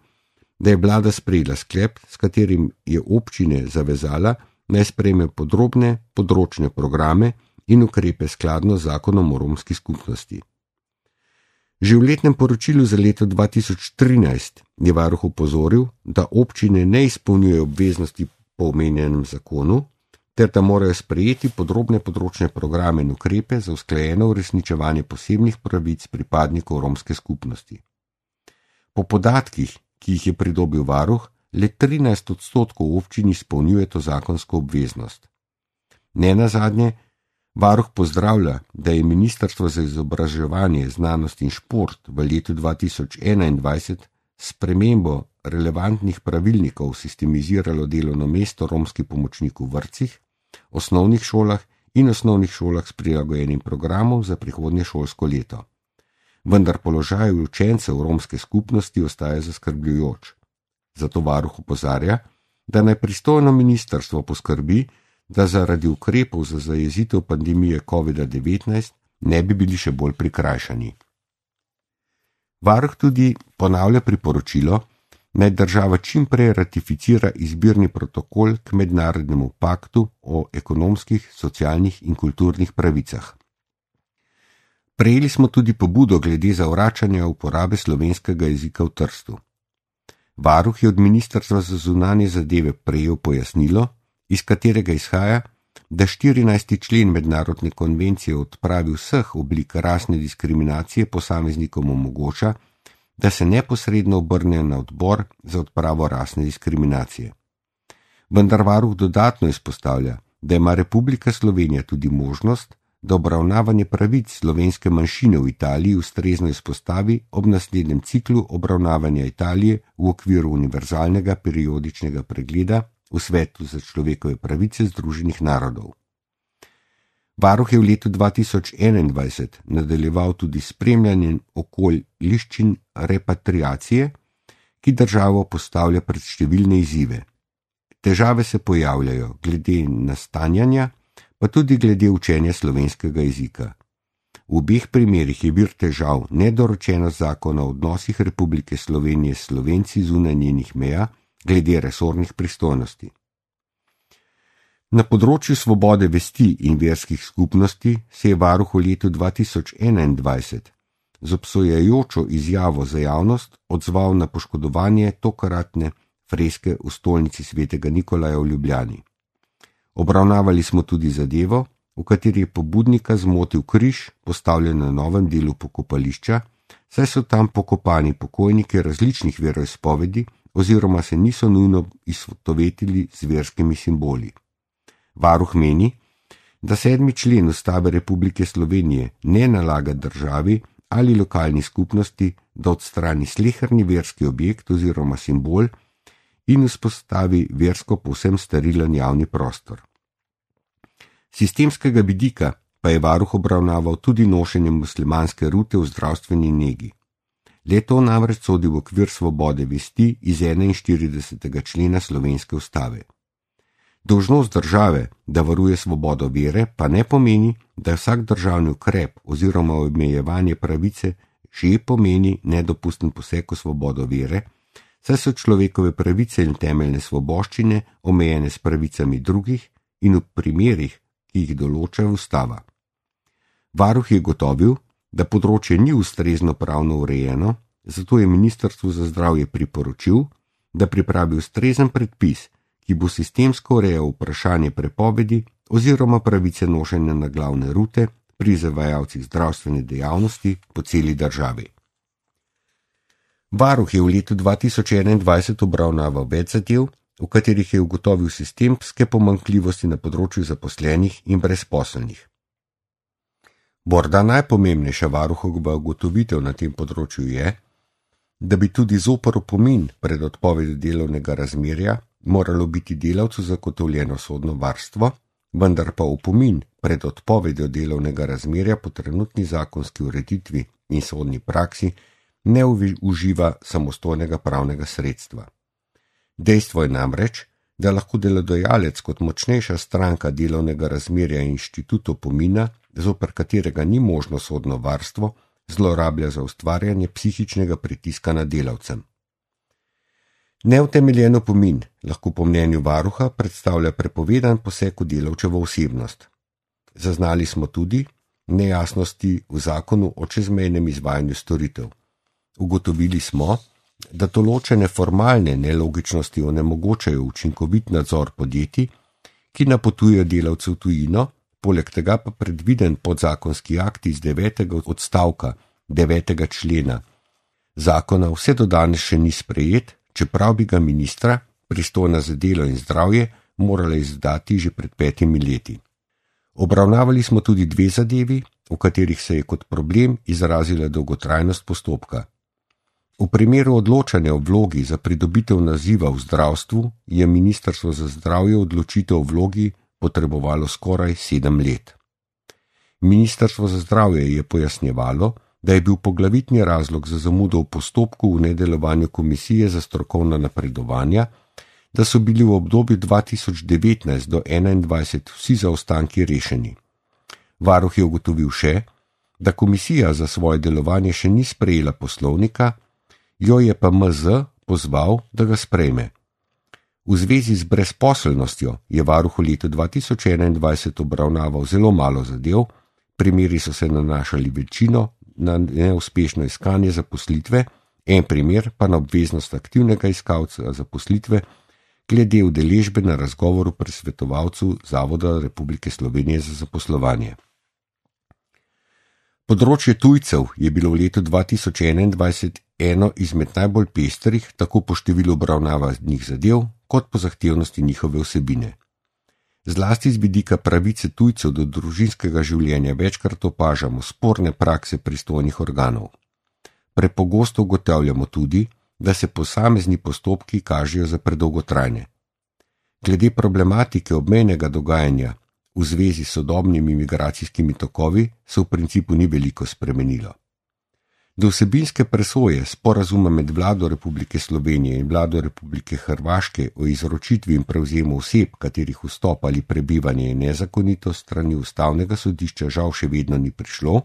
Speaker 1: da je vlada sprejela sklep, s katerim je občine zavezala, naj sprejme podrobne področne programe in ukrepe skladno z zakonom o romski skupnosti. Že v letnem poročilu za leto 2013 je varuh opozoril, da občine ne izpolnjujejo obveznosti po omenjenem zakonu, ter da morajo sprejeti podrobne področne programe in ukrepe za usklajeno uresničevanje posebnih pravic pripadnikov romske skupnosti. Po podatkih, ki jih je pridobil varuh, le 13% občin izpolnjuje to zakonsko obveznost. Nenazadnje, varuh pozdravlja, da je Ministrstvo za izobraževanje, znanost in šport v letu 2021 s spremembo relevantnih pravilnikov sistemiziralo delovno mesto romski pomočnik v vrtcih, osnovnih šolah in osnovnih šolah s prilagojenim programom za prihodnje šolsko leto. Vendar položaj učencev romske skupnosti ostaja zaskrbljujoč. Zato varuh opozarja, da naj pristojno ministrstvo poskrbi, da zaradi ukrepov za zajezitev pandemije COVID-19 ne bi bili še bolj prikrajšani. Varuh tudi ponavlja priporočilo, naj država čim prej ratificira izbirni protokol k mednarodnemu paktu o ekonomskih, socialnih in kulturnih pravicah. Prejeli smo tudi pobudo glede zavračanja uporabe slovenskega jezika v Trstu. Varuh je od Ministrstva za zunanje zadeve prejel pojasnilo, iz katerega izhaja, da 14. člen mednarodne konvencije o odpravi vseh oblik rasne diskriminacije posameznikom omogoča, da se neposredno obrnejo na odbor za odpravo rasne diskriminacije. Vendar varuh dodatno izpostavlja, da ima Republika Slovenija tudi možnost, da obravnavanje pravic slovenske manjšine v Italiji ustrezno izpostavi ob naslednjem ciklu obravnavanja Italije v okviru univerzalnega periodičnega pregleda v Svetu za človekove pravice Združenih narodov. Varuh je v letu 2021 nadaljeval tudi spremljanjem okoliščin repatriacije, ki državo postavlja pred številne izzive. Težave se pojavljajo glede nastanjanja, pa tudi glede učenja slovenskega jezika. V obeh primerih je vir težav nedorečenost zakona o odnosih Republike Slovenije s Slovenci zunaj njenih meja glede resornih pristojnosti. Na področju svobode vesti in verskih skupnosti se je varuh v letu 2021 z obsojajočo izjavo za javnost odzval na poškodovanje tokratne freske v stolnici svetega Nikolaja v Ljubljani. Obravnavali smo tudi zadevo, v kateri je pobudnika zmotil križ postavljen na novem delu pokopališča, saj so tam pokopani pokojniki različnih veroizpovedi oziroma se niso nujno izsvetovetili z verskimi simboli. Varuh meni, da 7. člen Ustave Republike Slovenije ne nalaga državi ali lokalni skupnosti, da odstrani sleherni verski objekt oziroma simbol in vzpostavi versko povsem sterilen javni prostor. Sistemskega vidika pa je varuh obravnaval tudi nošenje muslimanske rute v zdravstveni negi. Le-to namreč sodi v okvir svobode vesti iz 41. člena Slovenske ustave. Dolžnost države, da varuje svobodo vere, pa ne pomeni, da vsak državni ukrep oziroma omejevanje pravice že pomeni nedopusten poseg v svobodo vere, saj so človekove pravice in temeljne svoboščine omejene s pravicami drugih in v primerih, ki jih določa ustava. Varuh je gotovil, da področje ni ustrezno pravno urejeno, zato je Ministrstvu za zdravje priporočil, da pripravi ustrezen predpis, ki bo sistemsko urejal vprašanje prepovedi oziroma pravice nošenja na glavne rute pri izvajalcih zdravstvene dejavnosti po celi državi. Varuh je v letu 2021 obravnaval več zadev, v katerih je ugotovil sistemske pomanjkljivosti na področju zaposlenih in brezposelnih. Morda najpomembnejša varuhova ugotovitev na tem področju je, da bi tudi zoper opomin pred odpovedjo delovnega razmerja moralo biti delavcu zagotovljeno sodno varstvo, vendar pa opomin pred odpovedjo delovnega razmerja po trenutni zakonski ureditvi in sodni praksi ne uživa samostojnega pravnega sredstva. Dejstvo je namreč, da lahko delodajalec kot močnejša stranka delovnega razmerja inštitut opomina, zoper katerega ni možno sodno varstvo, zlorablja za ustvarjanje psihičnega pritiska na delavcem. Neutemeljen opomin lahko po mnenju varuha predstavlja prepovedan poseg v delavčevo osebnost. Zaznali smo tudi nejasnosti v zakonu o čezmejnem izvajanju storitev. Ugotovili smo, da določene formalne nelogičnosti onemogočajo učinkovit nadzor podjetij, ki napotujejo delavce v tujino, poleg tega pa predviden podzakonski akt iz 9. odstavka 9. člena zakona vse do danes še ni sprejet, čeprav bi ga ministra, pristojna za delo in zdravje, morala izdati že pred 5 leti. Obravnavali smo tudi 2 zadevi, v katerih se je kot problem izrazila dolgotrajnost postopka. V primeru odločanja o vlogi za pridobitev naziva v zdravstvu je Ministrstvo za zdravje odločitev o vlogi potrebovalo skoraj 7 let. Ministrstvo za zdravje je pojasnjevalo, da je bil poglavitni razlog za zamudo v postopku v nedelovanju komisije za strokovna napredovanja, da so bili v obdobju 2019 do 2021 vsi zaostanki rešeni. Varuh je ugotovil še, da komisija za svoje delovanje še ni sprejela poslovnika, jo je pa MZ pozval, da ga sprejme. V zvezi z brezposelnostjo je varuh v letu 2021 obravnaval zelo malo zadev, primeri so se nanašali večino na neuspešno iskanje zaposlitve, en primer pa na obveznost aktivnega iskalca zaposlitve glede udeležbe na razgovoru pri svetovalcu Zavoda Republike Slovenije za zaposlovanje. Področje tujcev je bilo v letu 2021 eno izmed najbolj pestrih, tako po številu obravnavanih zadev, kot po zahtevnosti njihove vsebine. Zlasti z vidika pravice tujcev do družinskega življenja večkrat opažamo sporne prakse pristojnih organov. Prepogosto ugotavljamo tudi, da se posamezni postopki kažejo za predolgotrajne. Glede problematike obmejnega dogajanja v zvezi s sodobnimi migracijskimi tokovi se v principu ni veliko spremenilo. Do vsebinske presoje sporazuma med Vlado Republike Slovenije in Vlado Republike Hrvaške o izročitvi in prevzemu oseb, katerih vstop ali prebivanje je nezakonito strani ustavnega sodišča, žal še vedno ni prišlo,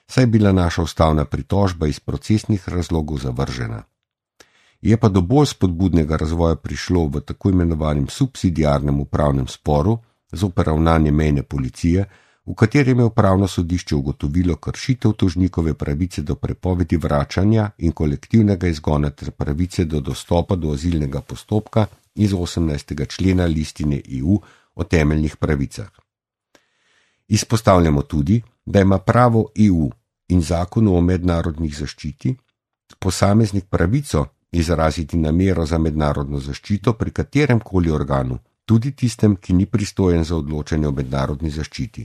Speaker 1: saj je bila naša ustavna pritožba iz procesnih razlogov zavržena. Je pa do bolj spodbudnega razvoja prišlo v tako imenovanem subsidiarnem upravnem sporu zoper ravnanje mejne policije, v katerem je upravno sodišče ugotovilo kršitev tožnikove pravice do prepovedi vračanja in kolektivnega izgona ter pravice do dostopa do azilnega postopka iz 18. člena listine EU o temeljnih pravicah. Izpostavljamo tudi, da ima pravo EU in zakonu o mednarodnih zaščiti posameznik pravico izraziti namero za mednarodno zaščito pri katerem koli organu, tudi tistem, ki ni pristojen za odločanje o mednarodni zaščiti.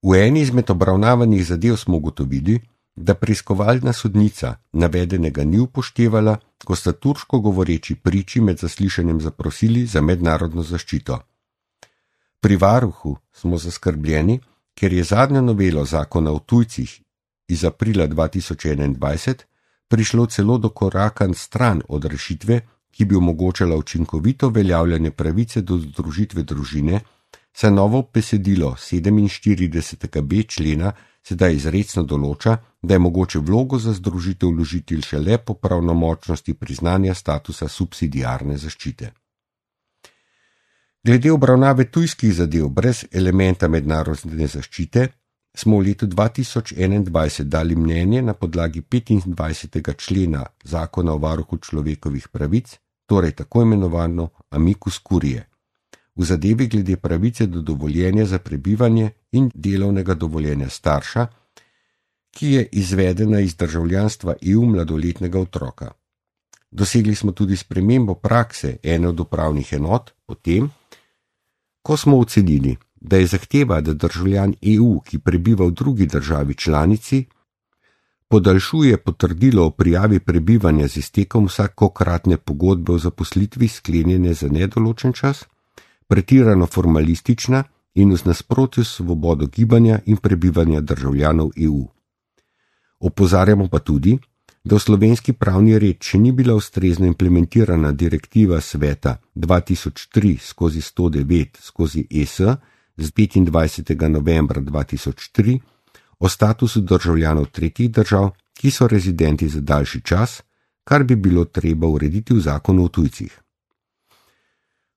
Speaker 1: V eni izmed obravnavanih zadev smo ugotovili, da preiskovalna sodnica navedenega ni upoštevala, ko sta turško govoreči priči med zaslišanjem zaprosili za mednarodno zaščito. Pri varuhu smo zaskrbljeni, ker je zadnjo novelo zakona o tujcih iz aprila 2021 prišlo celo do koraka stran od rešitve, ki bi omogočala učinkovito uveljavljanje pravice do združitve družine, saj novo besedilo 47b člena sedaj izrecno določa, da je mogoče vlogo za združitev vložiti šele po pravnomočnosti priznanja statusa subsidiarne zaščite. Glede obravnave tujskih zadev brez elementa mednarodne zaščite smo v letu 2021 dali mnenje na podlagi 25. člena Zakona o varuhu človekovih pravic, torej tako imenovano amicus curiae, v zadevi glede pravice do dovoljenja za prebivanje in delovnega dovoljenja starša, ki je izvedena iz državljanstva EU mladoletnega otroka. Dosegli smo tudi spremembo prakse ene od upravnih enot, potem, ko smo ocenili, da je zahteva, da državljan EU, ki prebiva v drugi državi članici, podaljšuje potrdilo o prijavi prebivanja z iztekom vsakokratne pogodbe o zaposlitvi sklenjene za nedoločen čas, pretirano formalistična in v nasprotju s svobodo gibanja in prebivanja državljanov EU. Opozarjamo pa tudi, da v slovenski pravni red še ni bila ustrezno implementirana direktiva sveta 2003/109/ES z 25. novembra 2003 o statusu državljanov tretjih držav, ki so rezidenti za daljši čas, kar bi bilo treba urediti v zakonu o tujcih.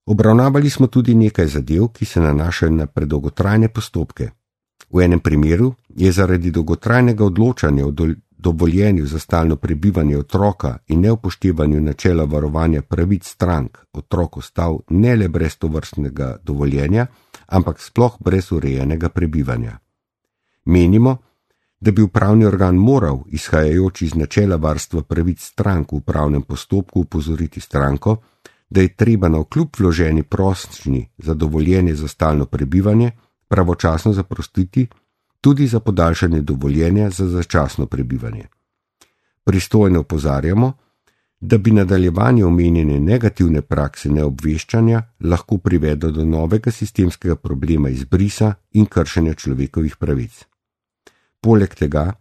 Speaker 1: Obravnavali smo tudi nekaj zadev, ki se nanašajo na predolgotrajne postopke. V enem primeru je zaradi dolgotrajnega odločanja o dovoljenju za stalno prebivanje otroka in neupoštevanju načela varovanja pravic strank otrok ostal ne le brez tovrstnega dovoljenja, ampak sploh brez urejenega prebivanja. Menimo, da bi upravni organ moral, izhajajoč iz načela varstva pravic strank v upravnem postopku, upozoriti stranko, da je treba navkljub vloženi prošnji za dovoljenje za stalno prebivanje pravočasno zaprositi tudi za podaljšanje dovoljenja za začasno prebivanje. Pristojno opozarjamo, da bi nadaljevanje omenjene negativne prakse neobveščanja lahko privedlo do novega sistemskega problema izbrisa in kršenja človekovih pravic. Poleg tega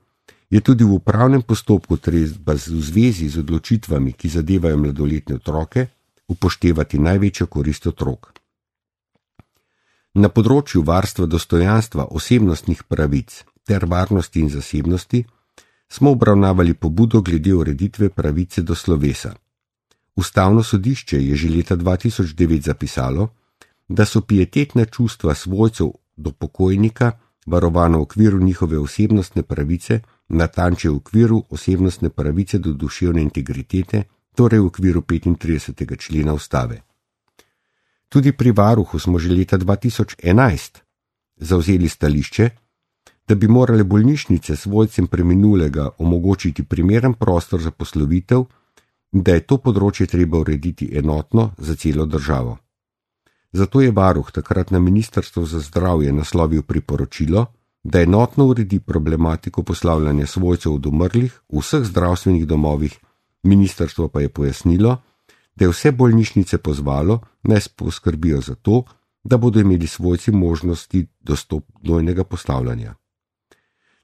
Speaker 1: je tudi v upravnem postopku treba v zvezi z odločitvami, ki zadevajo mladoletne otroke, upoštevati največjo korist otrok. Na področju varstva dostojanstva osebnostnih pravic ter varnosti in zasebnosti smo obravnavali pobudo glede ureditve pravice do slovesa. Ustavno sodišče je že leta 2009 zapisalo, da so pietetna čustva svojcev do pokojnika varovano v okviru njihove osebnostne pravice, natančneje v okviru osebnostne pravice do duševne integritete, torej v okviru 35. člena Ustave. Tudi pri varuhu smo že leta 2011 zavzeli stališče, da bi morale bolnišnice svojcem preminulega omogočiti primeren prostor za poslovitev in da je to področje treba urediti enotno za celo državo. Zato je varuh takrat na Ministrstvo za zdravje naslovil priporočilo, da enotno uredi problematiko poslavljanja svojcev od umrlih v vseh zdravstvenih domovih, ministrstvo pa je pojasnilo, da je vse bolnišnice pozvalo, naj poskrbijo za to, da bodo imeli svojci možnosti dostopnega poslavljanja.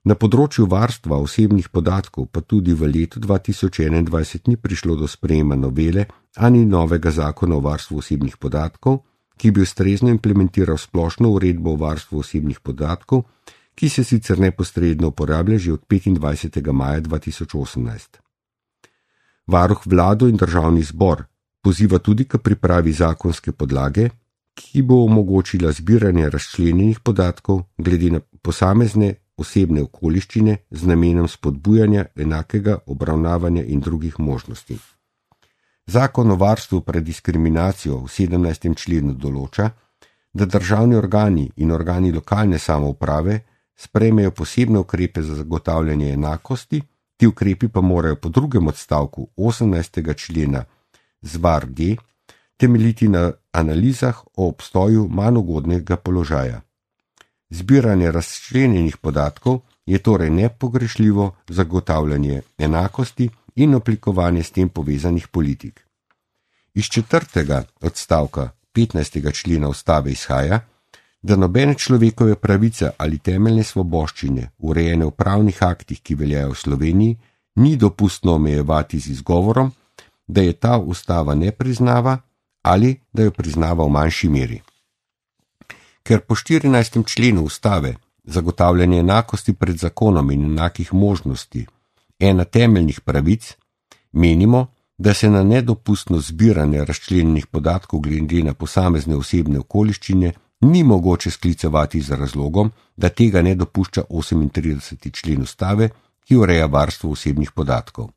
Speaker 1: Na področju varstva osebnih podatkov pa tudi v letu 2021 ni prišlo do sprejema novele ani novega zakona o varstvu osebnih podatkov, ki bi ustrezno implementiral splošno uredbo o varstvu osebnih podatkov, ki se sicer neposredno uporablja že od 25. maja 2018. Varuh vlado in državni zbor poziva tudi k pripravi zakonske podlage, ki bo omogočila zbiranje razčlenjenih podatkov glede na posamezne osebne okoliščine z namenom spodbujanja enakega obravnavanja in drugih možnosti. Zakon o varstvu pred diskriminacijo v 17. členu določa, da državni organi in organi lokalne samouprave sprejmejo posebne ukrepe za zagotavljanje enakosti, ti ukrepi pa morajo po drugem odstavku 18. člena ZVAR-D temeljiti na analizah o obstoju manj ugodnega položaja. Zbiranje razčlenjenih podatkov je torej nepogrešljivo zagotavljanje enakosti in oblikovanje s tem povezanih politik. Iz 4. odstavka 15. člena Ustave izhaja, da nobene človekove pravice ali temeljne svoboščine, urejene v pravnih aktih, ki veljajo v Sloveniji, ni dopustno omejevati z izgovorom, da je ta ustava ne priznava ali da jo priznava v manjši meri. Ker po 14. členu Ustave zagotavljanje enakosti pred zakonom in enakih možnosti ena temeljnih pravic, menimo, da se na nedopustno zbiranje razčlenjenih podatkov glede na posamezne osebne okoliščine ni mogoče sklicevati z razlogom, da tega ne dopušča 38. člen Ustave, ki ureja varstvo osebnih podatkov.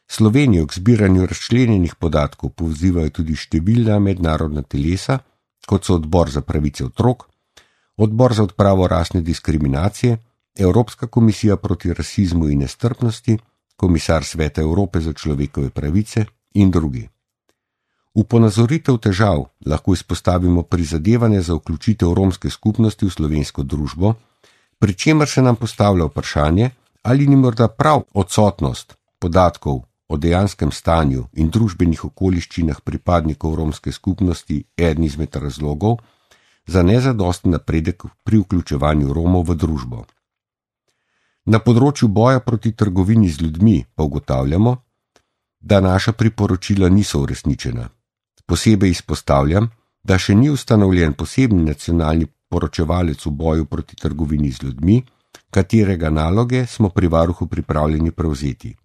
Speaker 1: Slovenijo k zbiranju razčlenjenih podatkov pozivajo tudi številna mednarodna telesa, kot so Odbor za pravice otrok, Odbor za odpravo rasne diskriminacije, Evropska komisija proti rasizmu in nestrpnosti, komisar Sveta Evrope za človekove pravice in drugi. V ponazoritev težav lahko izpostavimo prizadevanje za vključitev romske skupnosti v slovensko družbo, pri čemer se nam postavlja vprašanje, ali ni morda prav odsotnost podatkov o dejanskem stanju in družbenih okoliščinah pripadnikov romske skupnosti eden izmed razlogov za nezadosten napredek pri vključevanju Romov v družbo. Na področju boja proti trgovini z ljudmi pa ugotavljamo, da naša priporočila niso uresničena. Posebej izpostavljam, da še ni ustanovljen posebni nacionalni poročevalec v boju proti trgovini z ljudmi, katerega naloge smo pri varuhu pripravljeni prevzeti.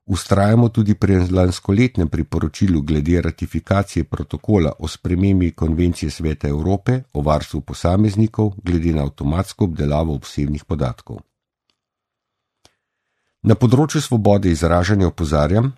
Speaker 1: Vztrajamo tudi pri lanskoletnem priporočilu glede ratifikacije protokola o spremembi Konvencije Sveta Evrope o varstvu posameznikov glede na avtomatsko obdelavo osebnih podatkov. Na področju svobode izražanja opozarjam,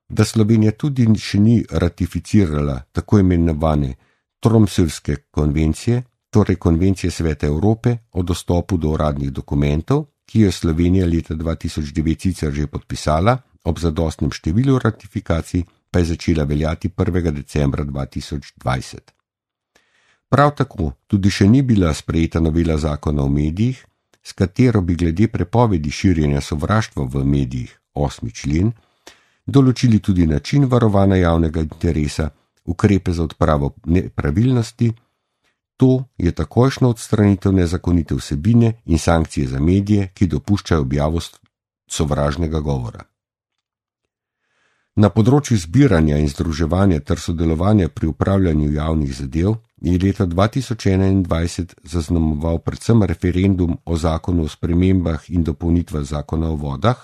Speaker 1: da Slovenija tudi še ni ratificirala tako imenovane Tromsøjske konvencije, torej Konvencije Sveta Evrope o dostopu do uradnih dokumentov, ki jo Slovenija leta 2009 sicer že podpisala, ob zadostnem številu ratifikacij pa je začela veljati 1. decembra 2020. Prav tako tudi še ni bila sprejeta novela zakona o medijih, s katero bi glede prepovedi širjenja sovraštva v medijih, 8. člen, določili tudi način varovanja javnega interesa, ukrepe za odpravo nepravilnosti, to je takojšnja odstranitev nezakonite vsebine in sankcije za medije, ki dopuščajo objavo sovražnega govora. Na področju zbiranja in združevanja ter sodelovanja pri upravljanju javnih zadev je leta 2021 zaznamoval predvsem referendum o zakonu o spremembah in dopolnitvah zakona o vodah,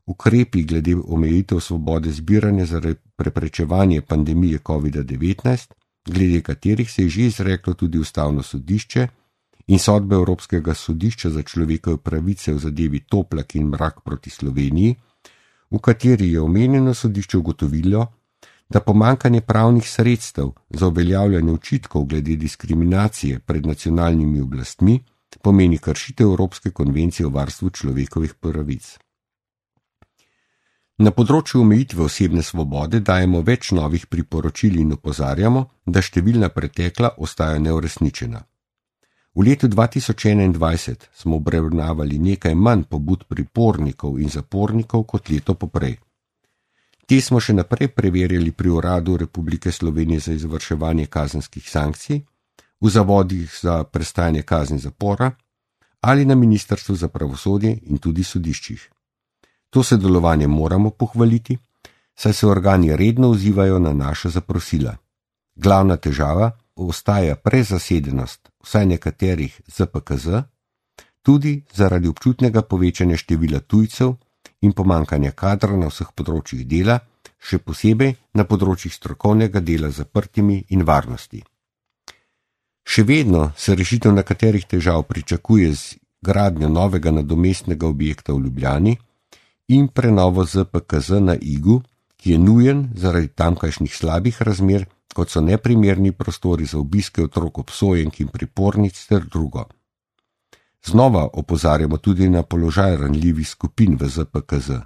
Speaker 1: ukrepi glede omejitev svobode zbiranja zaradi preprečevanja pandemije COVID-19, glede katerih se je že izreklo tudi Ustavno sodišče, in sodbe Evropskega sodišča za človekove pravice v zadevi Toplak in Mrak proti Sloveniji, v kateri je omenjeno sodišče ugotovilo, da pomanjkanje pravnih sredstev za uveljavljanje očitkov glede diskriminacije pred nacionalnimi oblastmi pomeni kršitev Evropske konvencije o varstvu človekovih pravic. Na področju omejitve osebne svobode dajemo več novih priporočil in opozarjamo, da številna pretekla ostaja neuresničena. V letu 2021 smo obravnavali nekaj manj pobud pripornikov in zapornikov kot leto poprej. Te smo še naprej preverjali pri Uradu Republike Slovenije za izvrševanje kazenskih sankcij, v zavodih za prestajanje kazni zapora ali na Ministrstvu za pravosodje in tudi sodiščih. To sodelovanje moramo pohvaliti, saj se organi redno odzivajo na naša zaprosila. Glavna težava ostaja prezasedenost vsaj nekaterih ZPKZ, tudi zaradi občutnega povečanja števila tujcev in pomanjkanja kadra na vseh področjih dela, še posebej na področjih strokovnega dela z zaprtimi in varnosti. Še vedno se rešitev nekaterih težav pričakuje z gradnjo novega nadomestnega objekta v Ljubljani in prenovo ZPKZ na Igu, ki je nujen zaradi tamkajšnjih slabih razmer, kot so neprimerni prostori za obiske otrok obsojenk in pripornic ter drugo. Znova opozarjamo tudi na položaj ranljivih skupin v ZPKZ,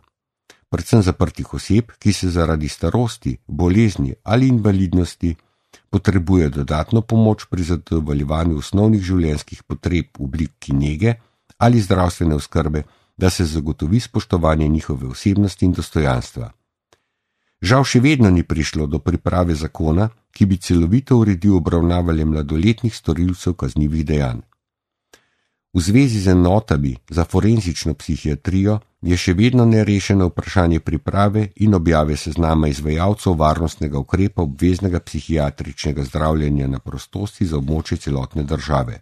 Speaker 1: predvsem zaprtih oseb, ki se zaradi starosti, bolezni ali invalidnosti potrebuje dodatno pomoč pri zadovoljevanju osnovnih življenjskih potreb v obliki nege ali zdravstvene oskrbe, da se zagotovi spoštovanje njihove osebnosti in dostojanstva. Žal še vedno ni prišlo do priprave zakona, ki bi celovito uredil obravnavanje mladoletnih storilcev kaznivih dejanj. V zvezi z enotami za forenzično psihiatrijo je še vedno nerešeno vprašanje priprave in objave seznama izvajalcev varnostnega ukrepa obveznega psihiatričnega zdravljenja na prostosti za območje celotne države.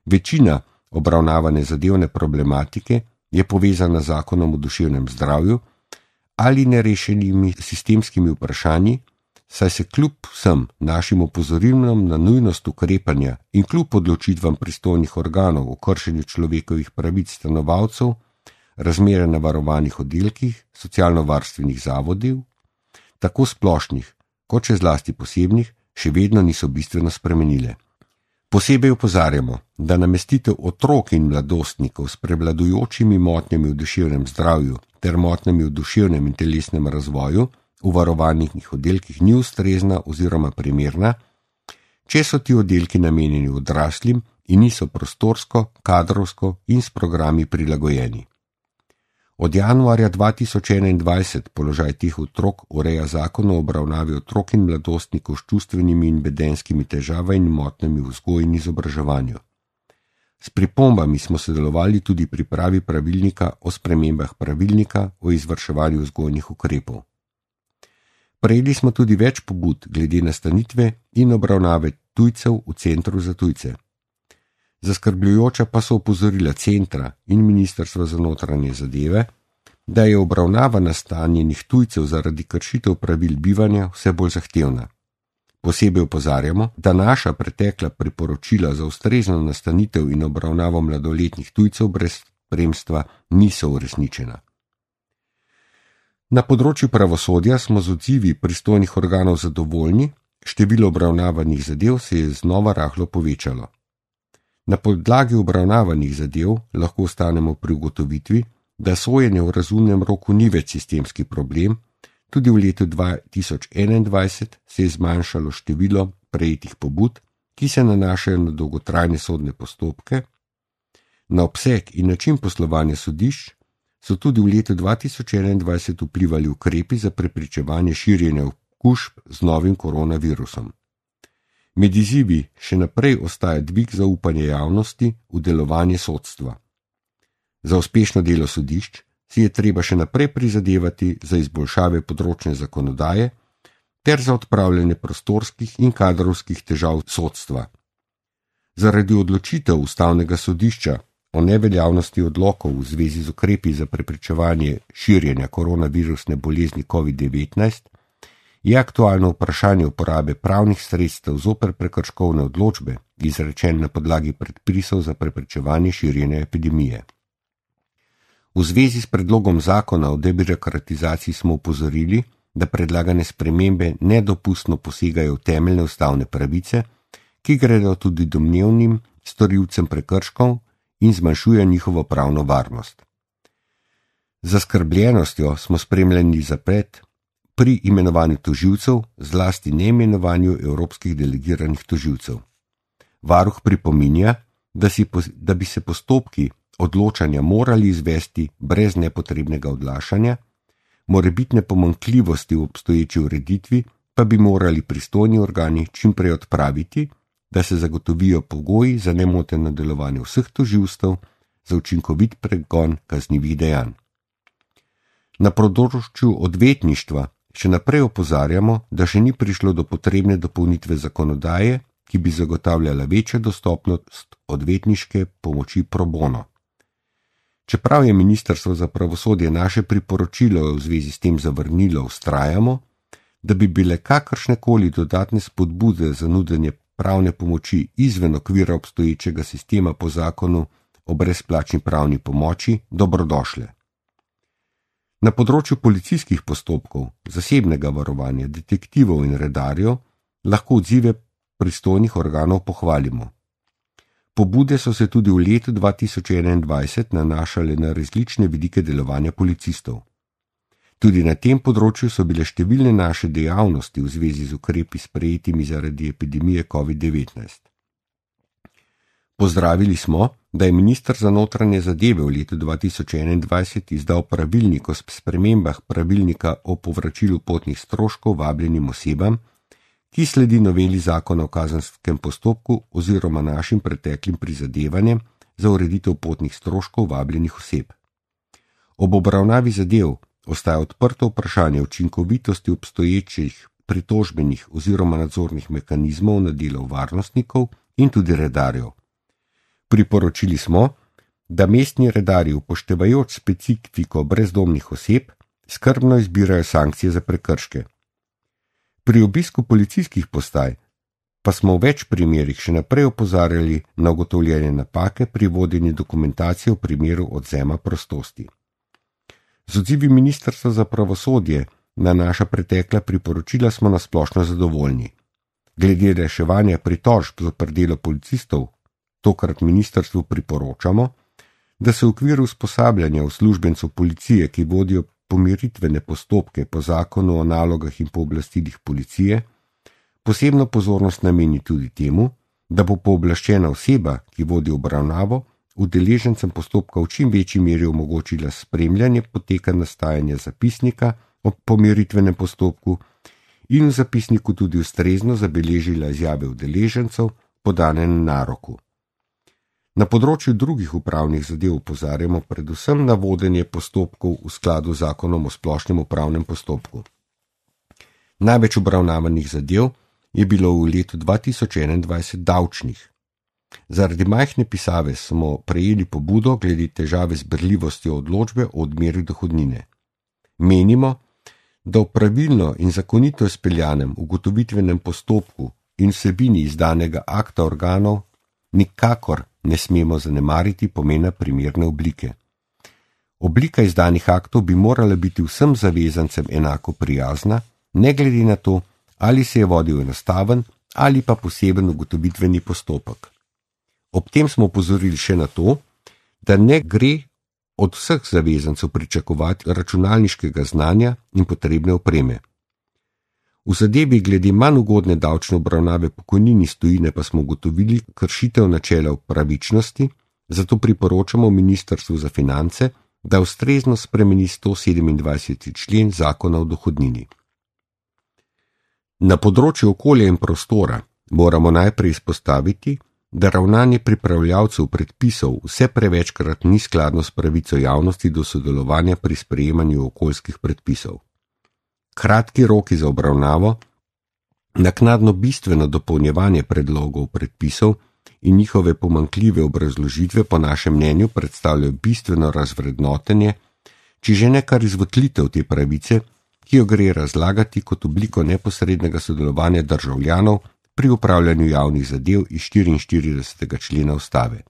Speaker 1: Večina obravnavane zadevne problematike je povezana z zakonom o duševnem zdravju ali nerešenimi sistemskimi vprašanji, saj se kljub vsem našim opozorilom na nujnost ukrepanja in kljub odločitvam pristojnih organov o kršenju človekovih pravic stanovalcev, razmere na varovanih oddelkih, socialno-varstvenih zavodov, tako splošnih kot še zlasti posebnih, še vedno niso bistveno spremenile. Posebej opozarjamo, da namestitev otrok in mladostnikov s prevladujočimi motnjami v duševnem zdravju ter motnjami v duševnem in telesnem razvoju v varovanih oddelkih ni ustrezna oziroma primerna, če so ti oddelki namenjeni odraslim in niso prostorsko, kadrovsko in s programi prilagojeni. Od januarja 2021 položaj teh otrok ureja zakon o obravnavi otrok in mladostnikov s čustvenimi in vedenjskimi težavami in motnjami v vzgoji in izobraževanju. S pripombami smo sodelovali tudi pri pripravi pravilnika o spremembah pravilnika o izvrševanju vzgojnih ukrepov. Prejeli smo tudi več pobud glede nastanitve in obravnave tujcev v centru za tujce. Zaskrbljujoča pa so opozorila centra in Ministrstva za notranje zadeve, da je obravnava nastanjenih tujcev zaradi kršitev pravil bivanja vse bolj zahtevna. Posebej opozarjamo, da naša pretekla priporočila za ustrezno nastanitev in obravnavo mladoletnih tujcev brez spremstva niso uresničena. Na področju pravosodja smo z odzivi pristojnih organov zadovoljni, število obravnavanih zadev se je znova rahlo povečalo. Na podlagi obravnavanih zadev lahko ostanemo pri ugotovitvi, da sojenje v razumnem roku ni več sistemski problem, tudi v letu 2021 se je zmanjšalo število prejetih pobud, ki se nanašajo na dolgotrajne sodne postopke, na obseg in način poslovanja sodišč so tudi v letu 2021 vplivali ukrepi za preprečevanje širjenja okužb z novim koronavirusom. Med izzivi še naprej ostaja dvig zaupanja javnosti v delovanje sodstva. Za uspešno delo sodišč si je treba še naprej prizadevati za izboljšave področne zakonodaje ter za odpravljanje prostorskih in kadrovskih težav sodstva. Zaradi odločitev Ustavnega sodišča o neveljavnosti odlokov v zvezi z ukrepi za preprečevanje širjenja koronavirusne bolezni COVID-19 je aktualno vprašanje uporabe pravnih sredstev zoper prekrškovne odločbe, izrečen na podlagi predpisov za preprečevanje širjenja epidemije. V zvezi s predlogom zakona o debirokratizaciji smo upozorili, da predlagane spremembe nedopustno posegajo v temeljne ustavne pravice, ki gredo tudi domnevnim storilcem prekrškov in zmanjšuje njihovo pravno varnost. Z zaskrbljenostjo smo spremljali zaplet pri imenovanju tožilcev, zlasti neimenovanju evropskih delegiranih tožilcev. Varuh pripominja, da bi se postopki odločanja morali izvesti brez nepotrebnega odlašanja, morebitne pomanjkljivosti v obstoječi ureditvi pa bi morali pristojni organi čim prej odpraviti, da se zagotovijo pogoji za nemoteno delovanje vseh tožilstev za učinkovit pregon kaznivih dejanj. Na področju odvetništva še naprej opozarjamo, da še ni prišlo do potrebne dopolnitve zakonodaje, ki bi zagotavljala večjo dostopnost odvetniške pomoči pro bono. Čeprav je Ministrstvo za pravosodje naše priporočilo v zvezi s tem zavrnilo, vztrajamo, da bi bile kakršnekoli dodatne spodbude za nudenje pravne pomoči izven okvira obstoječega sistema po zakonu o brezplačni pravni pomoči dobrodošle. Na področju policijskih postopkov, zasebnega varovanja, detektivov in redarjev lahko odzive pristojnih organov pohvalimo. Pobude so se tudi v letu 2021 nanašale na različne vidike delovanja policistov. Tudi na tem področju so bile številne naše dejavnosti v zvezi z ukrepi sprejetimi zaradi epidemije COVID-19. Pozdravili smo, da je minister za notranje zadeve v letu 2021 izdal pravilnik o spremembah pravilnika o povračilu potnih stroškov vabljenim osebam, ki sledi noveli zakona o kazenskem postopku oziroma našim preteklim prizadevanjem za ureditev potnih stroškov vabljenih oseb. Ob obravnavi zadev ostaja odprto vprašanje učinkovitosti obstoječih pritožbenih oziroma nadzornih mehanizmov na delo varnostnikov in tudi redarjev. Priporočili smo, da mestni redarji upoštevajoč specifiko brezdomnih oseb skrbno izbirajo sankcije za prekrške. Pri obisku policijskih postaj pa smo v več primerih še naprej opozarjali na ugotovljene napake pri vodenju dokumentacije v primeru odvzema prostosti. Z odzivi Ministrstva za pravosodje na naša pretekla priporočila smo nasplošno zadovoljni. Glede reševanja pritožb zoper delo policistov, tokrat ministrstvu priporočamo, da se v okviru usposabljanja uslužbencev policije, ki vodijo pomiritvene postopke po zakonu o nalogah in pooblastilih policije, posebno pozornost nameni tudi temu, da bo pooblaščena oseba, ki vodi obravnavo, udeležencem postopka v čim večji meri omogočila spremljanje poteka nastajanja zapisnika o pomiritvenem postopku in v zapisniku tudi ustrezno zabeležila izjave udeležencev podane na naroku. Na področju drugih upravnih zadev opozarjamo predvsem na vodenje postopkov v skladu z zakonom o splošnem upravnem postopku. Največ obravnavanih zadev je bilo v letu 2021 davčnih. Zaradi majhne pisave smo prejeli pobudo glede težave z berljivostjo odločbe o odmeri dohodnine. Menimo, da v pravilno in zakonito izpeljanem ugotovitvenem postopku in vsebini izdanega akta organov nikakor ne smemo zanemariti pomena primerne oblike. Oblika izdanih aktov bi morala biti vsem zavezancem enako prijazna, ne glede na to, ali se je vodil enostaven ali pa poseben ugotovitveni postopek. Ob tem smo opozorili še na to, da ne gre od vseh zavezancev pričakovati računalniškega znanja in potrebne opreme. V zadevi glede manj ugodne davčne obravnave pokojnin iz tujine pa smo ugotovili kršitev načela pravičnosti, zato priporočamo Ministrstvu za finance, da ustrezno spremeni 127. člen Zakona o dohodnini. Na področju okolja in prostora moramo najprej izpostaviti, da ravnanje pripravljavcev predpisov vse prevečkrat ni skladno s pravico javnosti do sodelovanja pri sprejemanju okoljskih predpisov. Kratki roki za obravnavo, naknadno bistveno dopolnjevanje predlogov predpisov in njihove pomanjkljive obrazložitve po našem mnenju predstavljajo bistveno razvrednotenje, či že ne kar izvotlitev te pravice, ki jo gre razlagati kot obliko neposrednega sodelovanja državljanov pri upravljanju javnih zadev iz 44. člena ustave.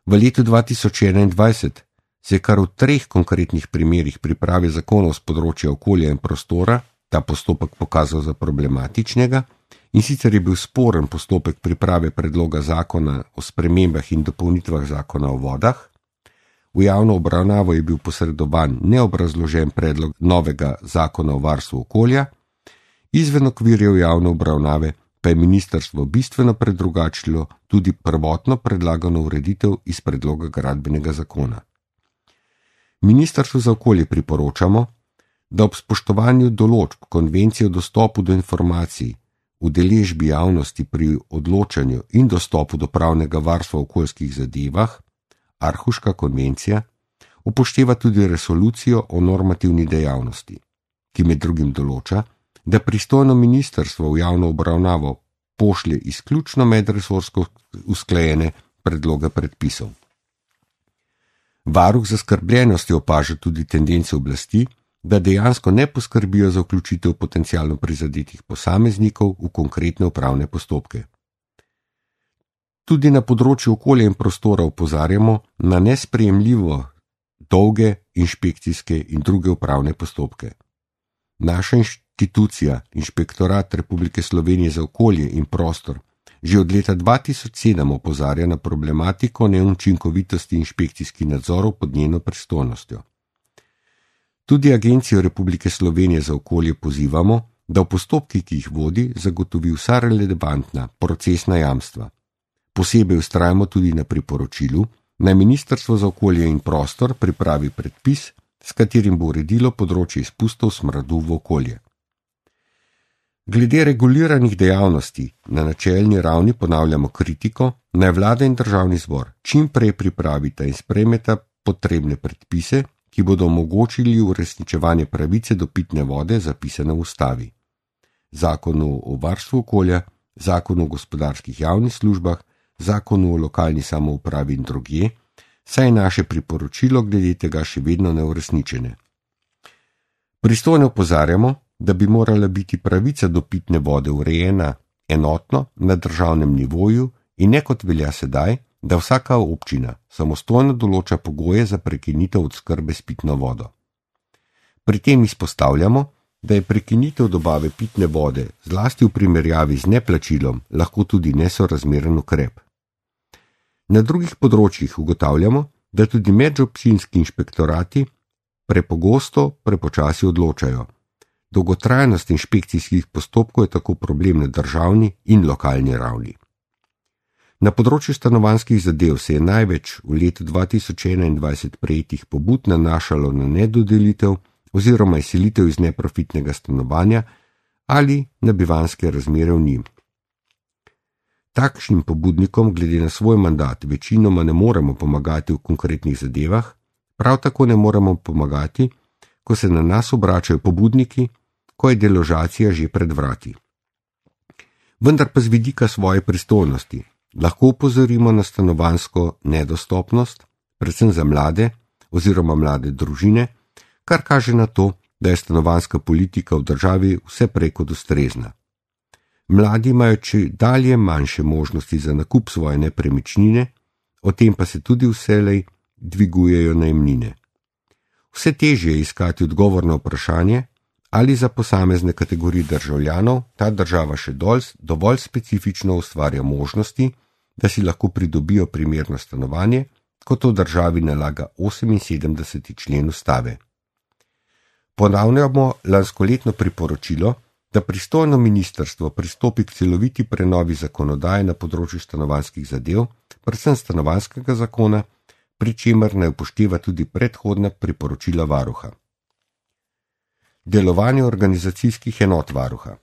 Speaker 1: V letu 2021 se je kar v 3 konkretnih primerih priprave zakonov z področja okolja in prostora ta postopek pokazal za problematičnega, in sicer je bil sporen postopek priprave predloga zakona o spremembah in dopolnitvah zakona o vodah, v javno obravnavo je bil posredovan neobrazložen predlog novega zakona o varstvu okolja, izven okvirjev javne obravnave pa je ministrstvo bistveno predrugačilo tudi prvotno predlagano ureditev iz predloga gradbenega zakona. Ministrstvu za okolje priporočamo, da ob spoštovanju določb konvencije o dostopu do informacij, udeležbi javnosti pri odločanju in dostopu do pravnega varstva v okoljskih zadevah, Arhuška konvencija, upošteva tudi resolucijo o normativni dejavnosti, ki med drugim določa, da pristojno ministrstvo v javno obravnavo pošlje izključno medresorsko usklajene predloge predpisov. Varuh zaskrbljenosti opaža tudi tendence oblasti, da dejansko ne poskrbijo za vključitev potencialno prizadetih posameznikov v konkretne upravne postopke. Tudi na področju okolja in prostora opozarjamo na nesprejemljivo dolge inšpekcijske in druge upravne postopke. Naša institucija, Inšpektorat Republike Slovenije za okolje in prostor, že od leta 2007 opozarja na problematiko neučinkovitosti inšpekcijskih nadzorov pod njeno pristojnostjo. Tudi Agencijo Republike Slovenije za okolje pozivamo, da v postopkih, ki jih vodi, zagotovi vsa relevantna procesna jamstva. Posebej vztrajamo tudi na priporočilu, naj Ministrstvo za okolje in prostor pripravi predpis, s katerim bo uredilo področje izpustov smradu v okolje. Glede reguliranih dejavnosti na načelni ravni ponavljamo kritiko, naj vlada in državni zbor čim prej pripravita in sprejmeta potrebne predpise, ki bodo omogočili uresničevanje pravice do pitne vode zapisane v ustavi, zakonu o varstvu okolja, zakonu o gospodarskih javnih službah, zakonu o lokalni samoupravi in drugje, saj je naše priporočilo glede tega še vedno neuresničene. Pristojno opozarjamo, da bi morala biti pravica do pitne vode urejena enotno na državnem nivoju in ne kot velja sedaj, da vsaka občina samostojno določa pogoje za prekinitev oskrbe s pitno vodo. Pri tem izpostavljamo, da je prekinitev dobave pitne vode, zlasti v primerjavi z neplačilom, lahko tudi nesorazmeren ukrep. Na drugih področjih ugotavljamo, da tudi medobčinski inšpektorati prepogosto prepočasi odločajo. Dolgotrajnost inšpekcijskih postopkov je tako problem na državni in lokalni ravni. Na področju stanovanjskih zadev se je največ v letu 2021 prejetih pobud nanašalo na nedodelitev oziroma izselitev iz neprofitnega stanovanja ali na bivanjske razmere v njim. Takšnim pobudnikom glede na svoj mandat večinoma ne moremo pomagati v konkretnih zadevah, prav tako ne moremo pomagati, ko se na nas obračajo pobudniki, ko je deložacija že pred vrati. Vendar pa z vidika svoje pristojnosti lahko upozorimo na stanovanjsko nedostopnost, predvsem za mlade oziroma mlade družine, kar kaže na to, da je stanovanjska politika v državi vse prej kot ustrezna. Mladi imajo čedalje manjše možnosti za nakup svoje nepremičnine, o tem pa se tudi vselej dvigujejo najemnine. Vse težje je iskati odgovor na vprašanje, ali za posamezne kategorije državljanov ta država še dovolj specifično ustvarja možnosti, da si lahko pridobijo primerno stanovanje, kot to državi nalaga 78. člen ustave. Ponavljamo lanskoletno priporočilo, da pristojno ministrstvo pristopi k celoviti prenovi zakonodaje na področju stanovanjskih zadev, predvsem stanovanjskega zakona, pri čemer naj upošteva tudi predhodna priporočila varuha. Delovanje organizacijskih enot varuha.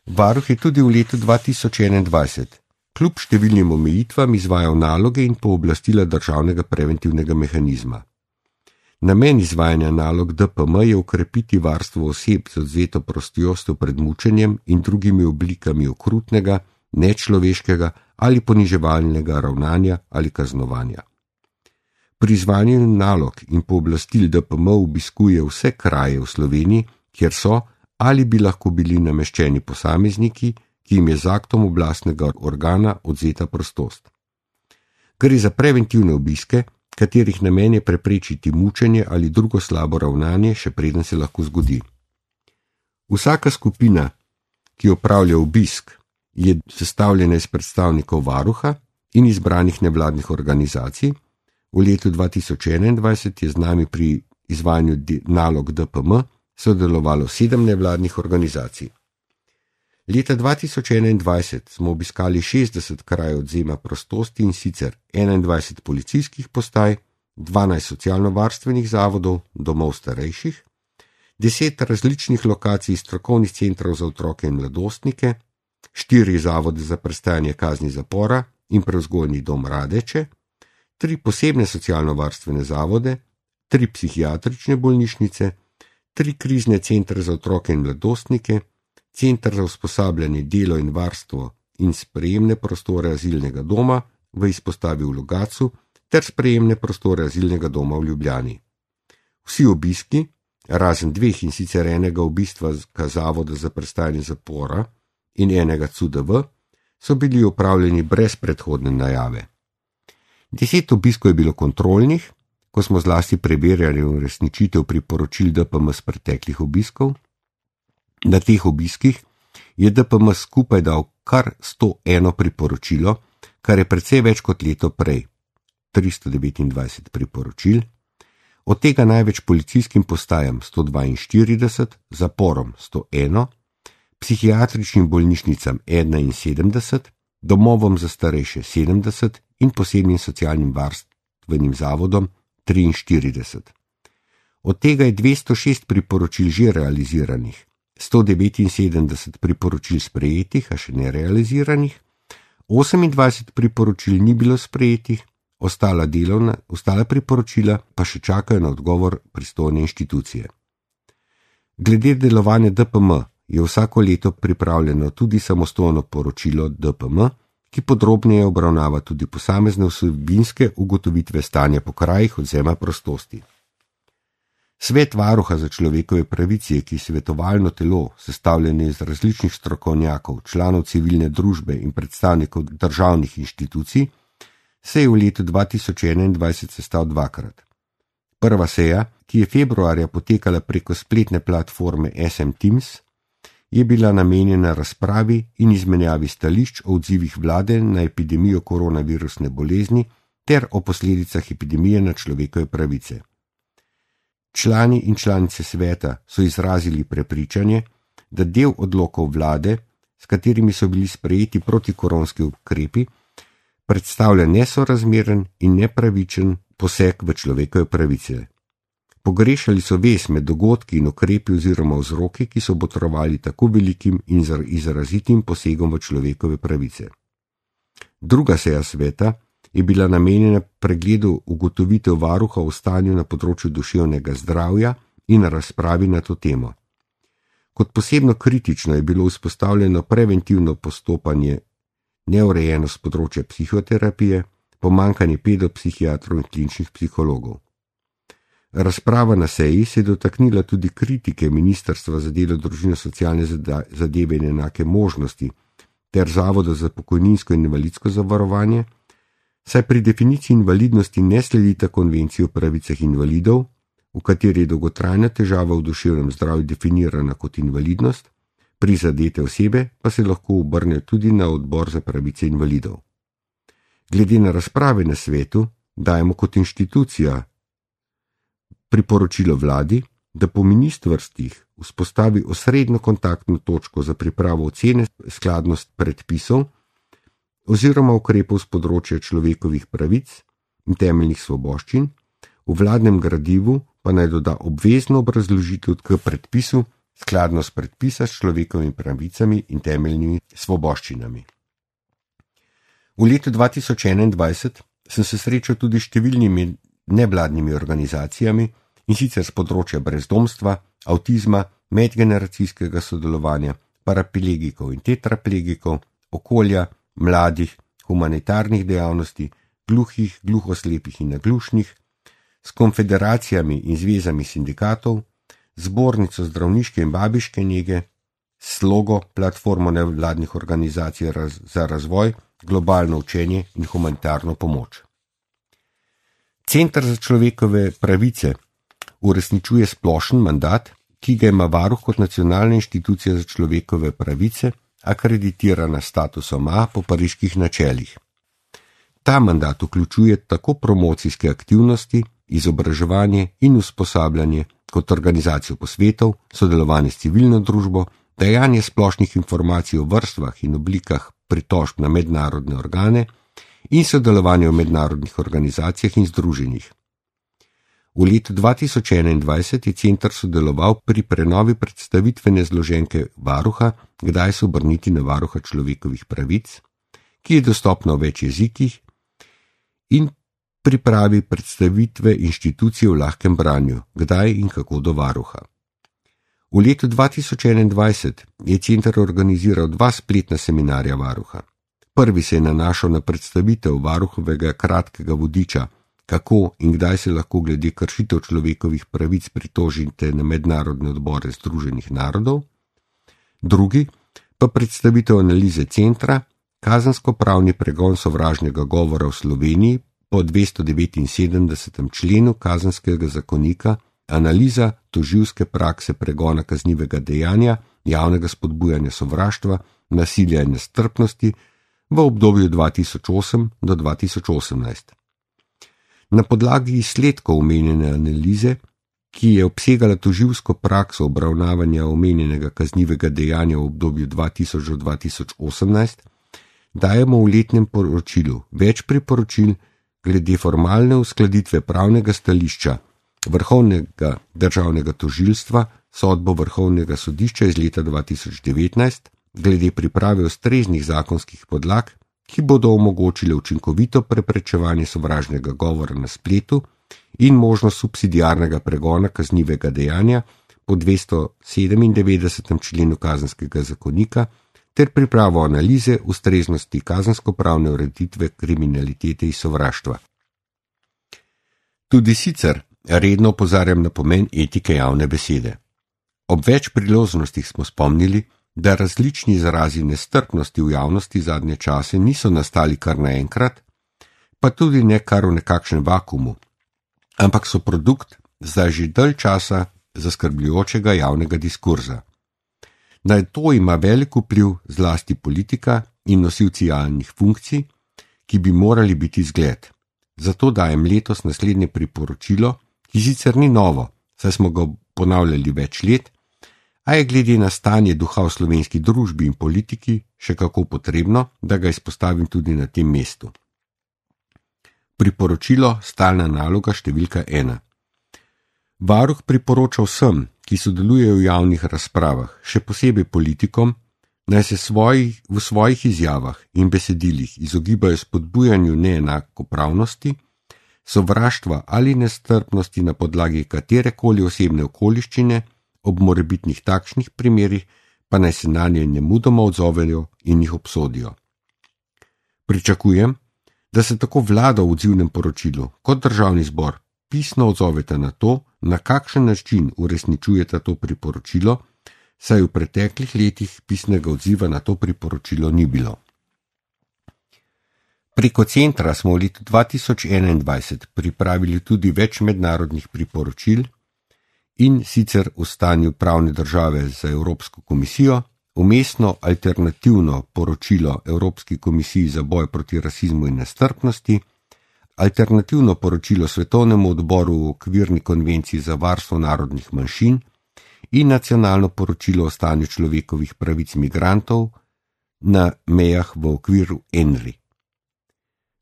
Speaker 1: Varuh je tudi v letu 2021 kljub številnim omejitvam izvajal naloge in pooblastila državnega preventivnega mehanizma. Namen izvajanja nalog DPM je ukrepiti varstvo oseb z odvzeto prostostjo pred mučenjem in drugimi oblikami okrutnega, nečloveškega ali poniževalnega ravnanja ali kaznovanja. Pri izvajanju nalog in pooblastil DPM obiskuje vse kraje v Sloveniji, kjer so ali bi lahko bili nameščeni posamezniki, ki jim je z aktom oblastnega organa odvzeta prostost. Gre za preventivne obiske, katerih namen je preprečiti mučenje ali drugo slabo ravnanje, še preden se lahko zgodi. Vsaka skupina, ki opravlja obisk, je sestavljena iz predstavnikov varuha in izbranih nevladnih organizacij. V letu 2021 je z nami pri izvajanju nalog DPM sodelovalo 7 nevladnih organizacij. Leta 2021 smo obiskali 60 krajev odvzema prostosti in sicer 21 policijskih postaj, 12 socialno-varstvenih zavodov, domov starejših, 10 različnih lokacij strokovnih centrov za otroke in mladostnike, 4 zavode za prestajanje kazni zapora in prevzgojni dom Radeče, 3 posebne socialno-varstvene zavode, 3 psihiatrične bolnišnice, 3 krizne centre za otroke in mladostnike, Center za usposabljanje, delo in varstvo in sprejemne prostore azilnega doma v izpostavi v Logatcu ter sprejemne prostore azilnega doma v Ljubljani. Vsi obiski, razen 2 in sicer enega obistva zavoda za prestajanje zapora in enega CUDV, so bili opravljeni brez predhodne najave. 10 obiskov je bilo kontrolnih, ko smo zlasti preverjali uresničitev priporočil DPM z preteklih obiskov. Na teh obiskih je DPM skupaj dal kar 101 priporočilo, kar je precej več kot leto prej, 329 priporočil, od tega največ policijskim postajam 142, zaporom 101, psihiatričnim bolnišnicam 71, domovom za starejše 70 in posebnim socialnim varstvenim zavodom 43. Od tega je 206 priporočil že realiziranih, 179 priporočil sprejetih, a še nerealiziranih, 28 priporočil ni bilo sprejetih, ostala priporočila pa še čakajo na odgovor pristojne inštitucije. Glede delovanja DPM je vsako leto pripravljeno tudi samostojno poročilo DPM, ki podrobneje obravnava tudi posamezne vsebinske ugotovitve stanja po krajih odvzema prostosti. Svet varuha za človekove pravice, ki je svetovalno telo, sestavljeno iz različnih strokovnjakov, članov civilne družbe in predstavnikov državnih inštitucij, se je v letu 2021 sestal 2-krat. Prva seja, ki je februarja potekala preko spletne platforme SM Teams, je bila namenjena razpravi in izmenjavi stališč o odzivih vlade na epidemijo koronavirusne bolezni ter o posledicah epidemije na človekove pravice. Člani in članice sveta so izrazili prepričanje, da del odlokov vlade, s katerimi so bili sprejeti protikoronski ukrepi, predstavlja nesorazmeren in nepravičen poseg v človekove pravice. Pogrešali so vez med dogodki in ukrepi oziroma vzroki, ki so botrovali tako velikim in izrazitim posegom v človekove pravice. Druga seja sveta je bila namenjena pregledu ugotovitev varuha o stanju na področju duševnega zdravja in razpravi na to temo. Kot posebno kritično je bilo vzpostavljeno preventivno postopanje, neurejenost področja psihoterapije, pomanjkanje pedopsihiatrov in kliničnih psihologov. Razprava na seji se je dotaknila tudi kritike Ministrstva za delo, družino, socialne zadeve in enake možnosti ter Zavoda za pokojninsko in invalidsko zavarovanje, saj pri definiciji invalidnosti ne sledita konvenciji o pravicah invalidov, v kateri je dolgotrajna težava v duševnem zdravju definirana kot invalidnost, prizadete osebe pa se lahko obrnejo tudi na odbor za pravice invalidov. Glede na razprave na svetu, dajemo kot inštitucija priporočilo vladi, da po ministrstvih vzpostavi osrednjo kontaktno točko za pripravo ocene skladnosti predpisov oziroma ukrepov z področja človekovih pravic in temeljnih svoboščin, v vladnem gradivu pa naj doda obvezno obrazložitev k predpisu skladnost predpisa s človekovimi pravicami in temeljnimi svoboščinami. V letu 2021 sem se srečal tudi s številnimi nevladnimi organizacijami, in sicer z področja brezdomstva, avtizma, medgeneracijskega sodelovanja, paraplegikov in tetraplegikov, okolja, mladih, humanitarnih dejavnosti, gluhih, gluhoslepih in naglušnih, s konfederacijami in zvezami sindikatov, zbornico zdravniške in babiške nege, Slogo, platformo nevladnih organizacij za razvoj, globalno učenje in humanitarno pomoč. Center za človekove pravice uresničuje splošen mandat, ki ga ima varuh kot nacionalna inštitucija za človekove pravice, akreditirana s statusom A po pariških načelih. Ta mandat vključuje tako promocijske aktivnosti, izobraževanje in usposabljanje, kot organizacijo posvetov, sodelovanje s civilno družbo, dajanje splošnih informacij o vrstvah in oblikah pritožb na mednarodne organe in sodelovanje v mednarodnih organizacijah in združenjih. V letu 2021 je center sodeloval pri prenovi predstavitvene zloženke varuha, kdaj se obrniti na varuha človekovih pravic, ki je dostopna v več jezikih, in pripravi predstavitve inštitucije v lahkem branju, kdaj in kako do varuha. V letu 2021 je center organiziral 2 spletna seminarja varuha. Prvi se je nanašal na predstavitev varuhovega kratkega vodiča, kako in kdaj se lahko glede kršitev človekovih pravic pritožite na mednarodne odbore Združenih narodov. Drugi pa predstavitev analize centra, kazensko-pravni pregon sovražnega govora v Sloveniji po 279. členu Kazenskega zakonika, analiza tožilske prakse pregona kaznivega dejanja, javnega spodbujanja sovraštva, nasilja in nestrpnosti v obdobju 2008 do 2018. Na podlagi izsledkov omenjene analize, ki je obsegala tožilsko prakso obravnavanja omenjenega kaznivega dejanja v obdobju 2000 do 2018, dajemo v letnem poročilu več priporočil glede formalne uskladitve pravnega stališča Vrhovnega državnega tožilstva, sodbo Vrhovnega sodišča iz leta 2019, glede priprave ustreznih zakonskih podlag, ki bodo omogočile učinkovito preprečevanje sovražnega govora na spletu in možnost subsidiarnega pregona kaznivega dejanja po 297. členu Kazenskega zakonika ter pripravo analize ustreznosti kazensko-pravne ureditve kriminalitete in sovraštva. Tudi sicer redno opozarjam na pomen etike javne besede. Ob več priložnostih smo spomnili, da različni izrazi nestrpnosti v javnosti zadnje čase niso nastali kar naenkrat, pa tudi ne kar v nekakšnem vakumu, ampak so produkt zdaj že dalj časa zaskrbljujočega javnega diskurza. Na to ima velik vpliv zlasti politika in nosilci javnih funkcij, ki bi morali biti zgled. Zato dajem letos naslednje priporočilo, ki sicer ni novo, saj smo ga ponavljali več let, a je glede na stanje duha v slovenski družbi in politiki še kako potrebno, da ga izpostavim tudi na tem mestu. Priporočilo stalna naloga številka 1. Varuh priporoča vsem, ki sodelujejo v javnih razpravah, še posebej politikom, naj se v svojih izjavah in besedilih izogibajo spodbujanju neenakopravnosti, sovraštva ali nestrpnosti na podlagi katerekoli osebne okoliščine, ob morebitnih takšnih primerih pa naj se nanje nemudoma odzovejo in jih obsodijo. Pričakujem, da se tako vlada v odzivnem poročilu kot državni zbor pisno odzoveta na to, na kakšen način uresničujeta to priporočilo, saj v preteklih letih pisnega odziva na to priporočilo ni bilo. Preko centra smo v letu 2021 pripravili tudi več mednarodnih priporočil, in sicer o stanju pravne države za Evropsko komisijo, vmesno alternativno poročilo Evropski komisiji za boj proti rasizmu in nestrpnosti, alternativno poročilo Svetovnemu odboru v okvirni konvenciji za varstvo narodnih manjšin in nacionalno poročilo o stanju človekovih pravic migrantov na mejah v okviru ENRI.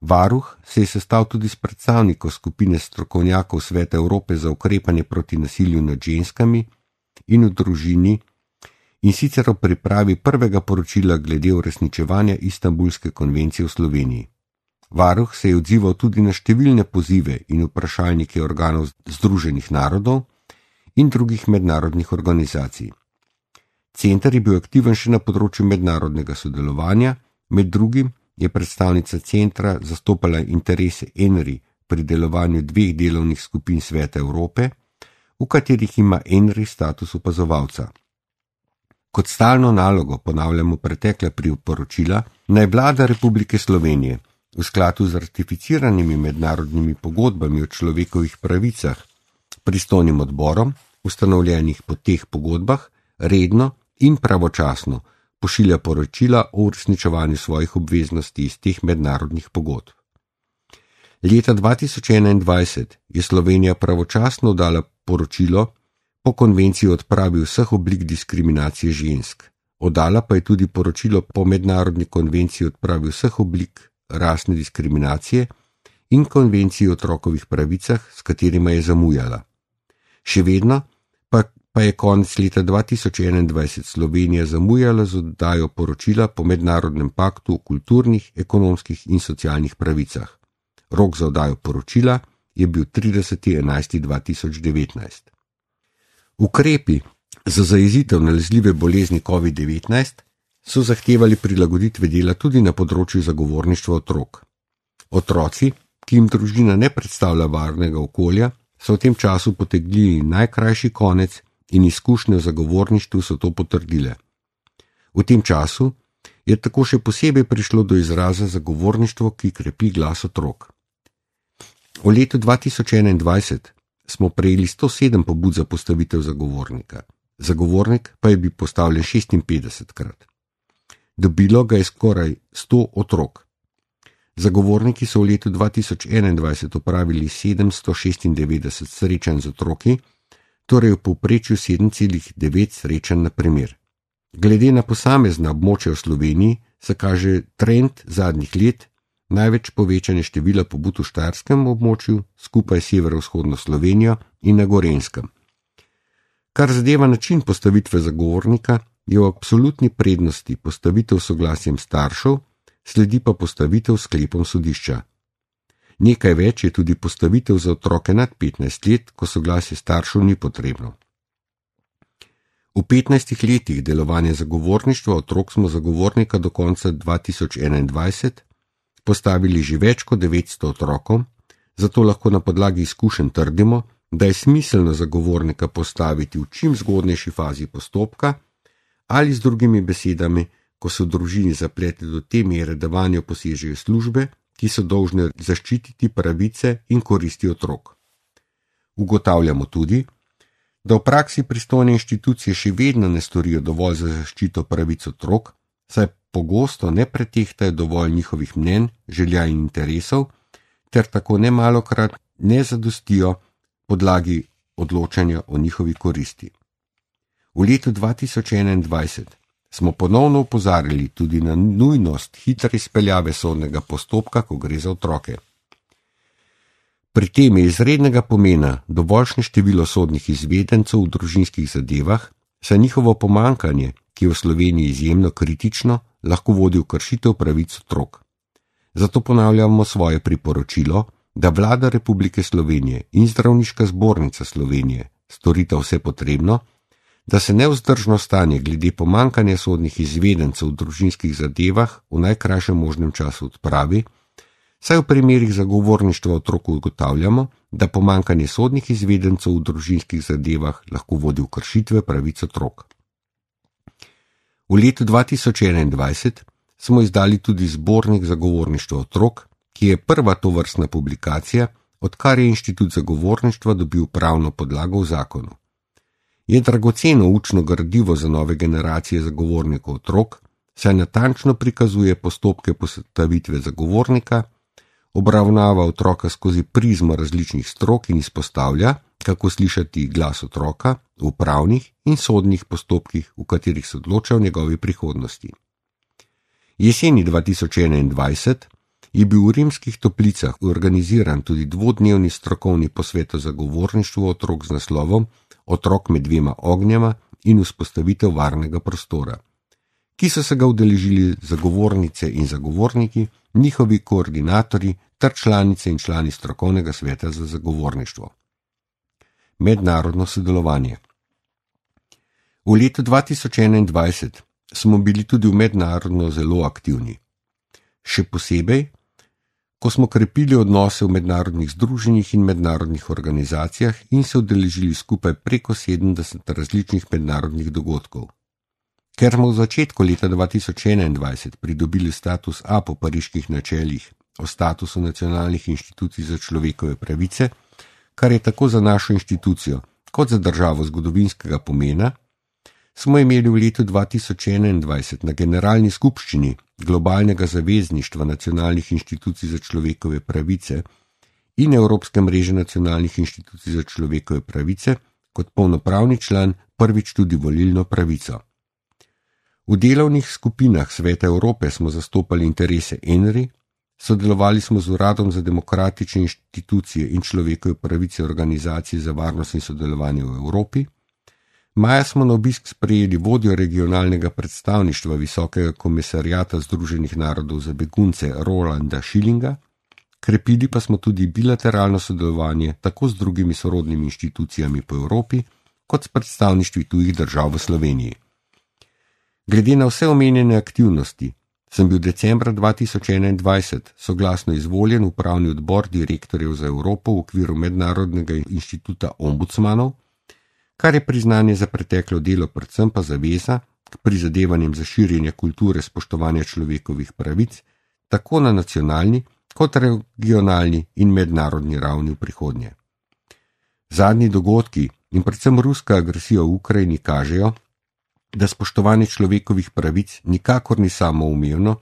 Speaker 1: Varuh se je sestal tudi s predstavnikom skupine strokovnjakov Sveta Evrope za ukrepanje proti nasilju nad ženskami in v družini, in sicer o pripravi prvega poročila glede uresničevanja Istanbulske konvencije v Sloveniji. Varuh se je odzival tudi na številne pozive in vprašalnike organov Združenih narodov in drugih mednarodnih organizacij. Center je bil aktiven še na področju mednarodnega sodelovanja, med drugim je predstavnica centra zastopala interese ENRI pri delovanju 2 delovnih skupin Sveta Evrope, v katerih ima ENRI status opazovalca. Kot stalno nalogo ponavljamo pretekla priporočila, naj Vlada Republike Slovenije v skladu z ratificiranimi mednarodnimi pogodbami o človekovih pravicah pristojnim odborom, ustanovljenih po teh pogodbah, redno in pravočasno pošilja poročila o uresničevanju svojih obveznosti iz teh mednarodnih pogodb. Leta 2021 je Slovenija pravočasno dala poročilo po konvenciji o odpravi vseh oblik diskriminacije žensk. Oddala pa je tudi poročilo po mednarodni konvenciji o odpravi vseh oblik rasne diskriminacije in konvenciji o otrokovih pravicah, s katerima je zamujala. Še vedno pa je konec leta 2021 Slovenija zamujala z oddajo poročila po mednarodnem paktu o kulturnih, ekonomskih in socialnih pravicah. Rok za oddajo poročila je bil 30.11.2019. Ukrepi za zajezitev nalezljive bolezni COVID-19 so zahtevali prilagoditve dela tudi na področju zagovorništva otrok. Otroci, ki jim družina ne predstavlja varnega okolja, so v tem času potegnili najkrajši konec in izkušnje v zagovorništvu so to potrdile. V tem času je tako še posebej prišlo do izraza zagovorništvo, ki krepi glas otrok. V letu 2021 smo prejeli 107 pobud za postavitev zagovornika. Zagovornik pa je bil postavljen 56krat. Dobilo ga je skoraj 100 otrok. Zagovorniki so v letu 2021 opravili 796 srečanj z otroki, torej v povprečju 7,9 srečanj na primer. Glede na posamezna območja v Sloveniji se kaže trend zadnjih let, največ povečanje števila pobud v štajerskem območju, skupaj s severovzhodno Slovenijo in na Gorenjskem. Kar zadeva način postavitve zagovornika, je v absolutni prednosti postavitev s soglasjem staršev, sledi pa postavitev s sklepom sodišča. Nekaj več je tudi postavitev za otroke nad 15 let, ko soglasje staršev ni potrebno. V 15 letih delovanja zagovorništva otrok smo zagovornika do konca 2021 postavili že več kot 900 otrokom, zato lahko na podlagi izkušenj trdimo, da je smiselno zagovornika postaviti v čim zgodnejši fazi postopka ali z drugimi besedami, ko so v družini zaplete do te mere, da vanjo posežejo službe, ki so dolžne zaščititi pravice in koristi otrok. Ugotavljamo tudi, da v praksi pristojne inštitucije še vedno ne storijo dovolj za zaščito pravic otrok, saj pogosto ne pretehtajo dovolj njihovih mnenj, želja in interesov, ter tako nemalokrat ne zadostijo podlagi odločanja o njihovi koristi. V letu 2021 smo ponovno opozarjali tudi na nujnost hitre izpeljave sodnega postopka, ko gre za otroke. Pri tem je izrednega pomena dovoljšne število sodnih izvedencev v družinskih zadevah, saj njihovo pomanjkanje, ki je v Sloveniji izjemno kritično, lahko vodi v kršitev pravic otrok. Zato ponavljamo svoje priporočilo, da Vlada Republike Slovenije in Zdravniška zbornica Slovenije storita vse potrebno, da se nevzdržno stanje glede pomanjkanja sodnih izvedencev v družinskih zadevah v najkrajšem možnem času odpravi, saj v primerih zagovorništva otrok ugotavljamo, da pomanjkanje sodnih izvedencev v družinskih zadevah lahko vodi v kršitve pravic otrok. V letu 2021 smo izdali tudi zbornik zagovorništva otrok, ki je prva tovrstna publikacija, odkar je Inštitut zagovorništva dobil pravno podlago v zakonu. Je dragoceno učno gradivo za nove generacije zagovornikov otrok, saj natančno prikazuje postopke postavitve zagovornika, obravnava otroka skozi prizmo različnih strok in izpostavlja, kako slišati glas otroka v pravnih in sodnih postopkih, v katerih se odloča o njegovi prihodnosti. Jeseni 2021 je bil v Rimskih Toplicah organiziran tudi dvodnevni strokovni posvet o zagovorništvu otrok z naslovom Otrok med dvema ognjema in vzpostavitev varnega prostora, ki so se ga udeležili zagovornice in zagovorniki, njihovi koordinatorji ter članice in člani strokovnega sveta za zagovorništvo. Mednarodno sodelovanje. V letu 2021 smo bili tudi v mednarodno zelo aktivni. Še posebej, ko smo krepili odnose v mednarodnih združenjih in mednarodnih organizacijah in se udeležili skupaj preko 70 različnih mednarodnih dogodkov. Ker smo v začetku leta 2021 pridobili status A po pariških načelih o statusu nacionalnih inštitucij za človekove pravice, kar je tako za našo inštitucijo kot za državo zgodovinskega pomena, smo imeli v letu 2021 na Generalni skupščini Globalnega zavezništva nacionalnih inštitucij za človekove pravice in Evropske mreže nacionalnih inštitucij za človekove pravice kot polnopravni član prvič tudi volilno pravico. V delovnih skupinah Sveta Evrope smo zastopali interese ENRI, sodelovali smo z Uradom za demokratične inštitucije in človekove pravice Organizacije za varnost in sodelovanje v Evropi. Maja smo na obisk sprejeli vodjo regionalnega predstavništva Visokega komisarjata Združenih narodov za begunce Rolanda Schillinga, krepili pa smo tudi bilateralno sodelovanje tako z drugimi sorodnimi inštitucijami po Evropi, kot s predstavništvi tujih držav v Sloveniji. Glede na vse omenjene aktivnosti, sem bil decembra 2021 soglasno izvoljen v upravni odbor direktorjev za Evropo v okviru Mednarodnega inštituta ombudsmanov, kar je priznanje za preteklo delo, predvsem pa zaveza k prizadevanjem za širjenje kulture spoštovanja človekovih pravic, tako na nacionalni kot regionalni in mednarodni ravni v prihodnje. Zadnji dogodki in predvsem ruska agresija v Ukrajini kažejo, da spoštovanje človekovih pravic nikakor ni samoumevno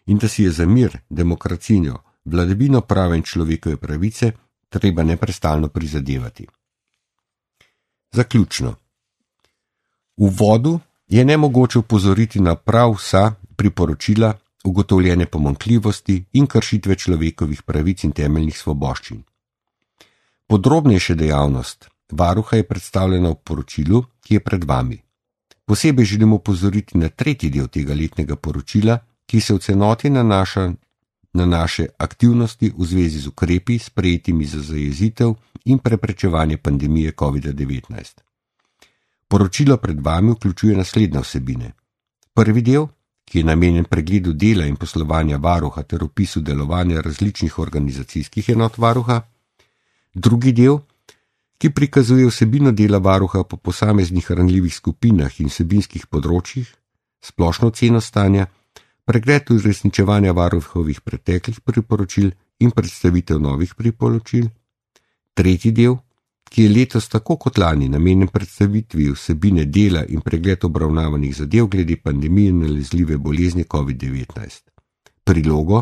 Speaker 1: in da si je za mir, demokracijo, vladavino prava in človekove pravice treba neprestalno prizadevati. Zaključno. V uvodu je nemogoče upozoriti na prav vsa priporočila, ugotovljene pomanjkljivosti in kršitve človekovih pravic in temeljnih svoboščin. Podrobnejša dejavnost varuha je predstavljena v poročilu, ki je pred vami. Posebej želimo upozoriti na tretji del tega letnega poročila, ki se v celoti nanaša na naše aktivnosti v zvezi z ukrepi, sprejetimi za zajezitev in preprečevanje pandemije COVID-19. Poročilo pred vami vključuje naslednje vsebine. Prvi del, ki je namenjen pregledu dela in poslovanja varuha ter opisu delovanja različnih organizacijskih enot varuha. Drugi del, ki prikazuje vsebino dela varuha po posameznih ranljivih skupinah in vsebinskih področjih, splošno oceno stanja, pregled uresničevanja varuhovih preteklih priporočil in predstavitev novih priporočil. Tretji del, ki je letos tako kot lani namenjen predstavitvi vsebine dela in pregled obravnavanih zadev glede pandemije nalezljive bolezni COVID-19. Prilogo,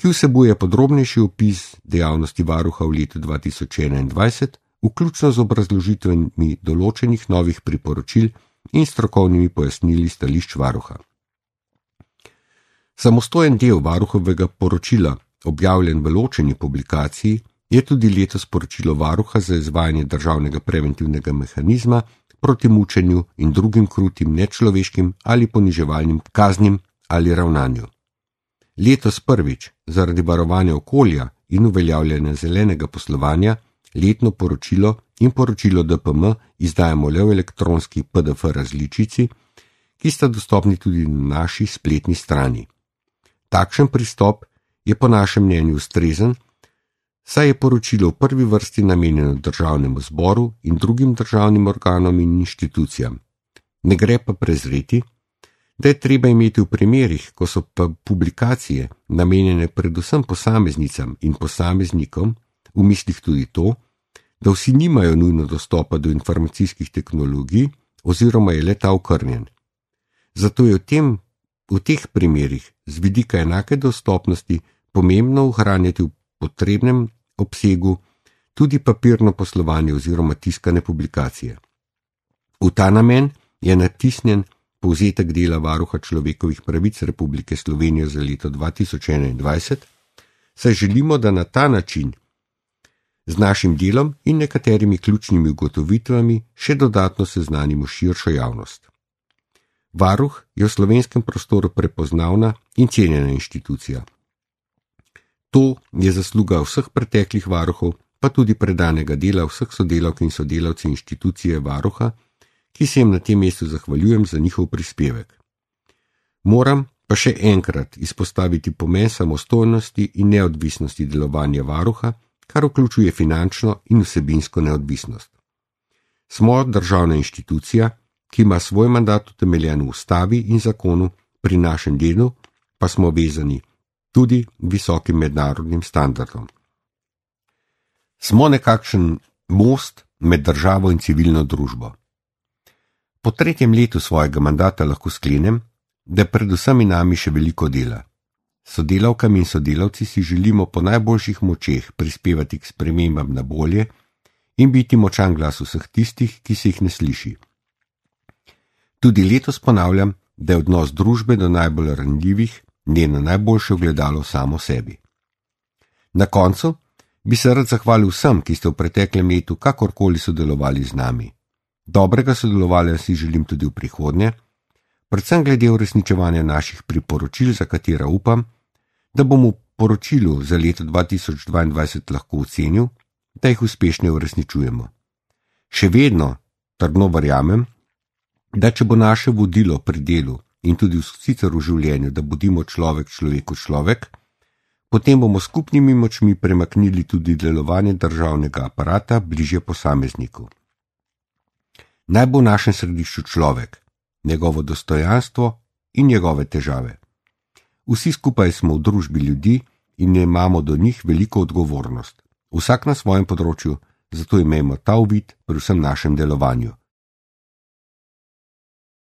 Speaker 1: ki vsebuje podrobnejši opis dejavnosti varuha v letu 2021, vključno z obrazložitvami določenih novih priporočil in strokovnimi pojasnili stališč varuha. Samostojen del varuhovega poročila, objavljen v ločeni publikaciji, je tudi letos poročilo varuha za izvajanje državnega preventivnega mehanizma proti mučenju in drugim krutim, nečloveškim ali poniževalnim kaznim ali ravnanju. Letos prvič, zaradi varovanja okolja in uveljavljanja zelenega poslovanja, letno poročilo in poročilo DPM izdajamo le v elektronski PDF različici, ki sta dostopni tudi na naši spletni strani. Takšen pristop je po našem mnenju ustrezen, saj je poročilo v prvi vrsti namenjeno državnemu zboru in drugim državnim organom in inštitucijam. Ne gre pa prezreti, da je treba imeti v primerih, ko so pa publikacije namenjene predvsem posameznicam in posameznikom, v mislih tudi to, da vsi nimajo nujno dostopa do informacijskih tehnologij oziroma je le ta okrnjen. Zato je v teh primerih z vidika enake dostopnosti pomembno ohranjati v potrebnem obsegu tudi papirno poslovanje oziroma tiskane publikacije. V ta namen je natisnjen povzetek dela varuha človekovih pravic Republike Slovenije za leto 2021, saj želimo, da na ta način z našim delom in nekaterimi ključnimi ugotovitvami še dodatno seznanimo širšo javnost. Varuh je v slovenskem prostoru prepoznavna in cenjena inštitucija. To je zasluga vseh preteklih varuhov, pa tudi predanega dela vseh sodelavk in sodelavcev inštitucije varuha, ki se jim na tem mestu zahvaljujem za njihov prispevek. Moram pa še enkrat izpostaviti pomen samostojnosti in neodvisnosti delovanja varuha, kar vključuje finančno in vsebinsko neodvisnost. Smo državna inštitucija, ki ima svoj mandat utemeljen v ustavi in zakonu, pri našem delu pa smo vezani tudi visokim mednarodnim standardom. Smo nekakšen most med državo in civilno družbo. Po 3. letu svojega mandata lahko sklenem, da je predvsem in nami še veliko dela. Sodelavkami in sodelavci si želimo po najboljših močeh prispevati k spremembam na bolje in biti močan glas vseh tistih, ki se jih ne sliši. Tudi letos ponavljam, da je odnos družbe do najbolj ranljivih njeno najboljše ogledalo samo sebi. Na koncu bi se rad zahvalil vsem, ki ste v preteklem letu kakorkoli sodelovali z nami. Dobrega sodelovanja si želim tudi v prihodnje, predvsem glede uresničevanja naših priporočil, za katera upam, da bom v poročilu za leto 2022 lahko ocenil, da jih uspešno uresničujemo. Še vedno trdno verjamem, da če bo naše vodilo pri delu in tudi sicer v življenju, da bodimo človek človeku človek, potem bomo skupnimi močmi premaknili tudi delovanje državnega aparata bližje posamezniku. Naj bo v našem središču človek, njegovo dostojanstvo in njegove težave. Vsi skupaj smo v družbi ljudi in imamo do njih veliko odgovornost. Vsak na svojem področju, zato imejmo ta uvid pri vsem našem delovanju.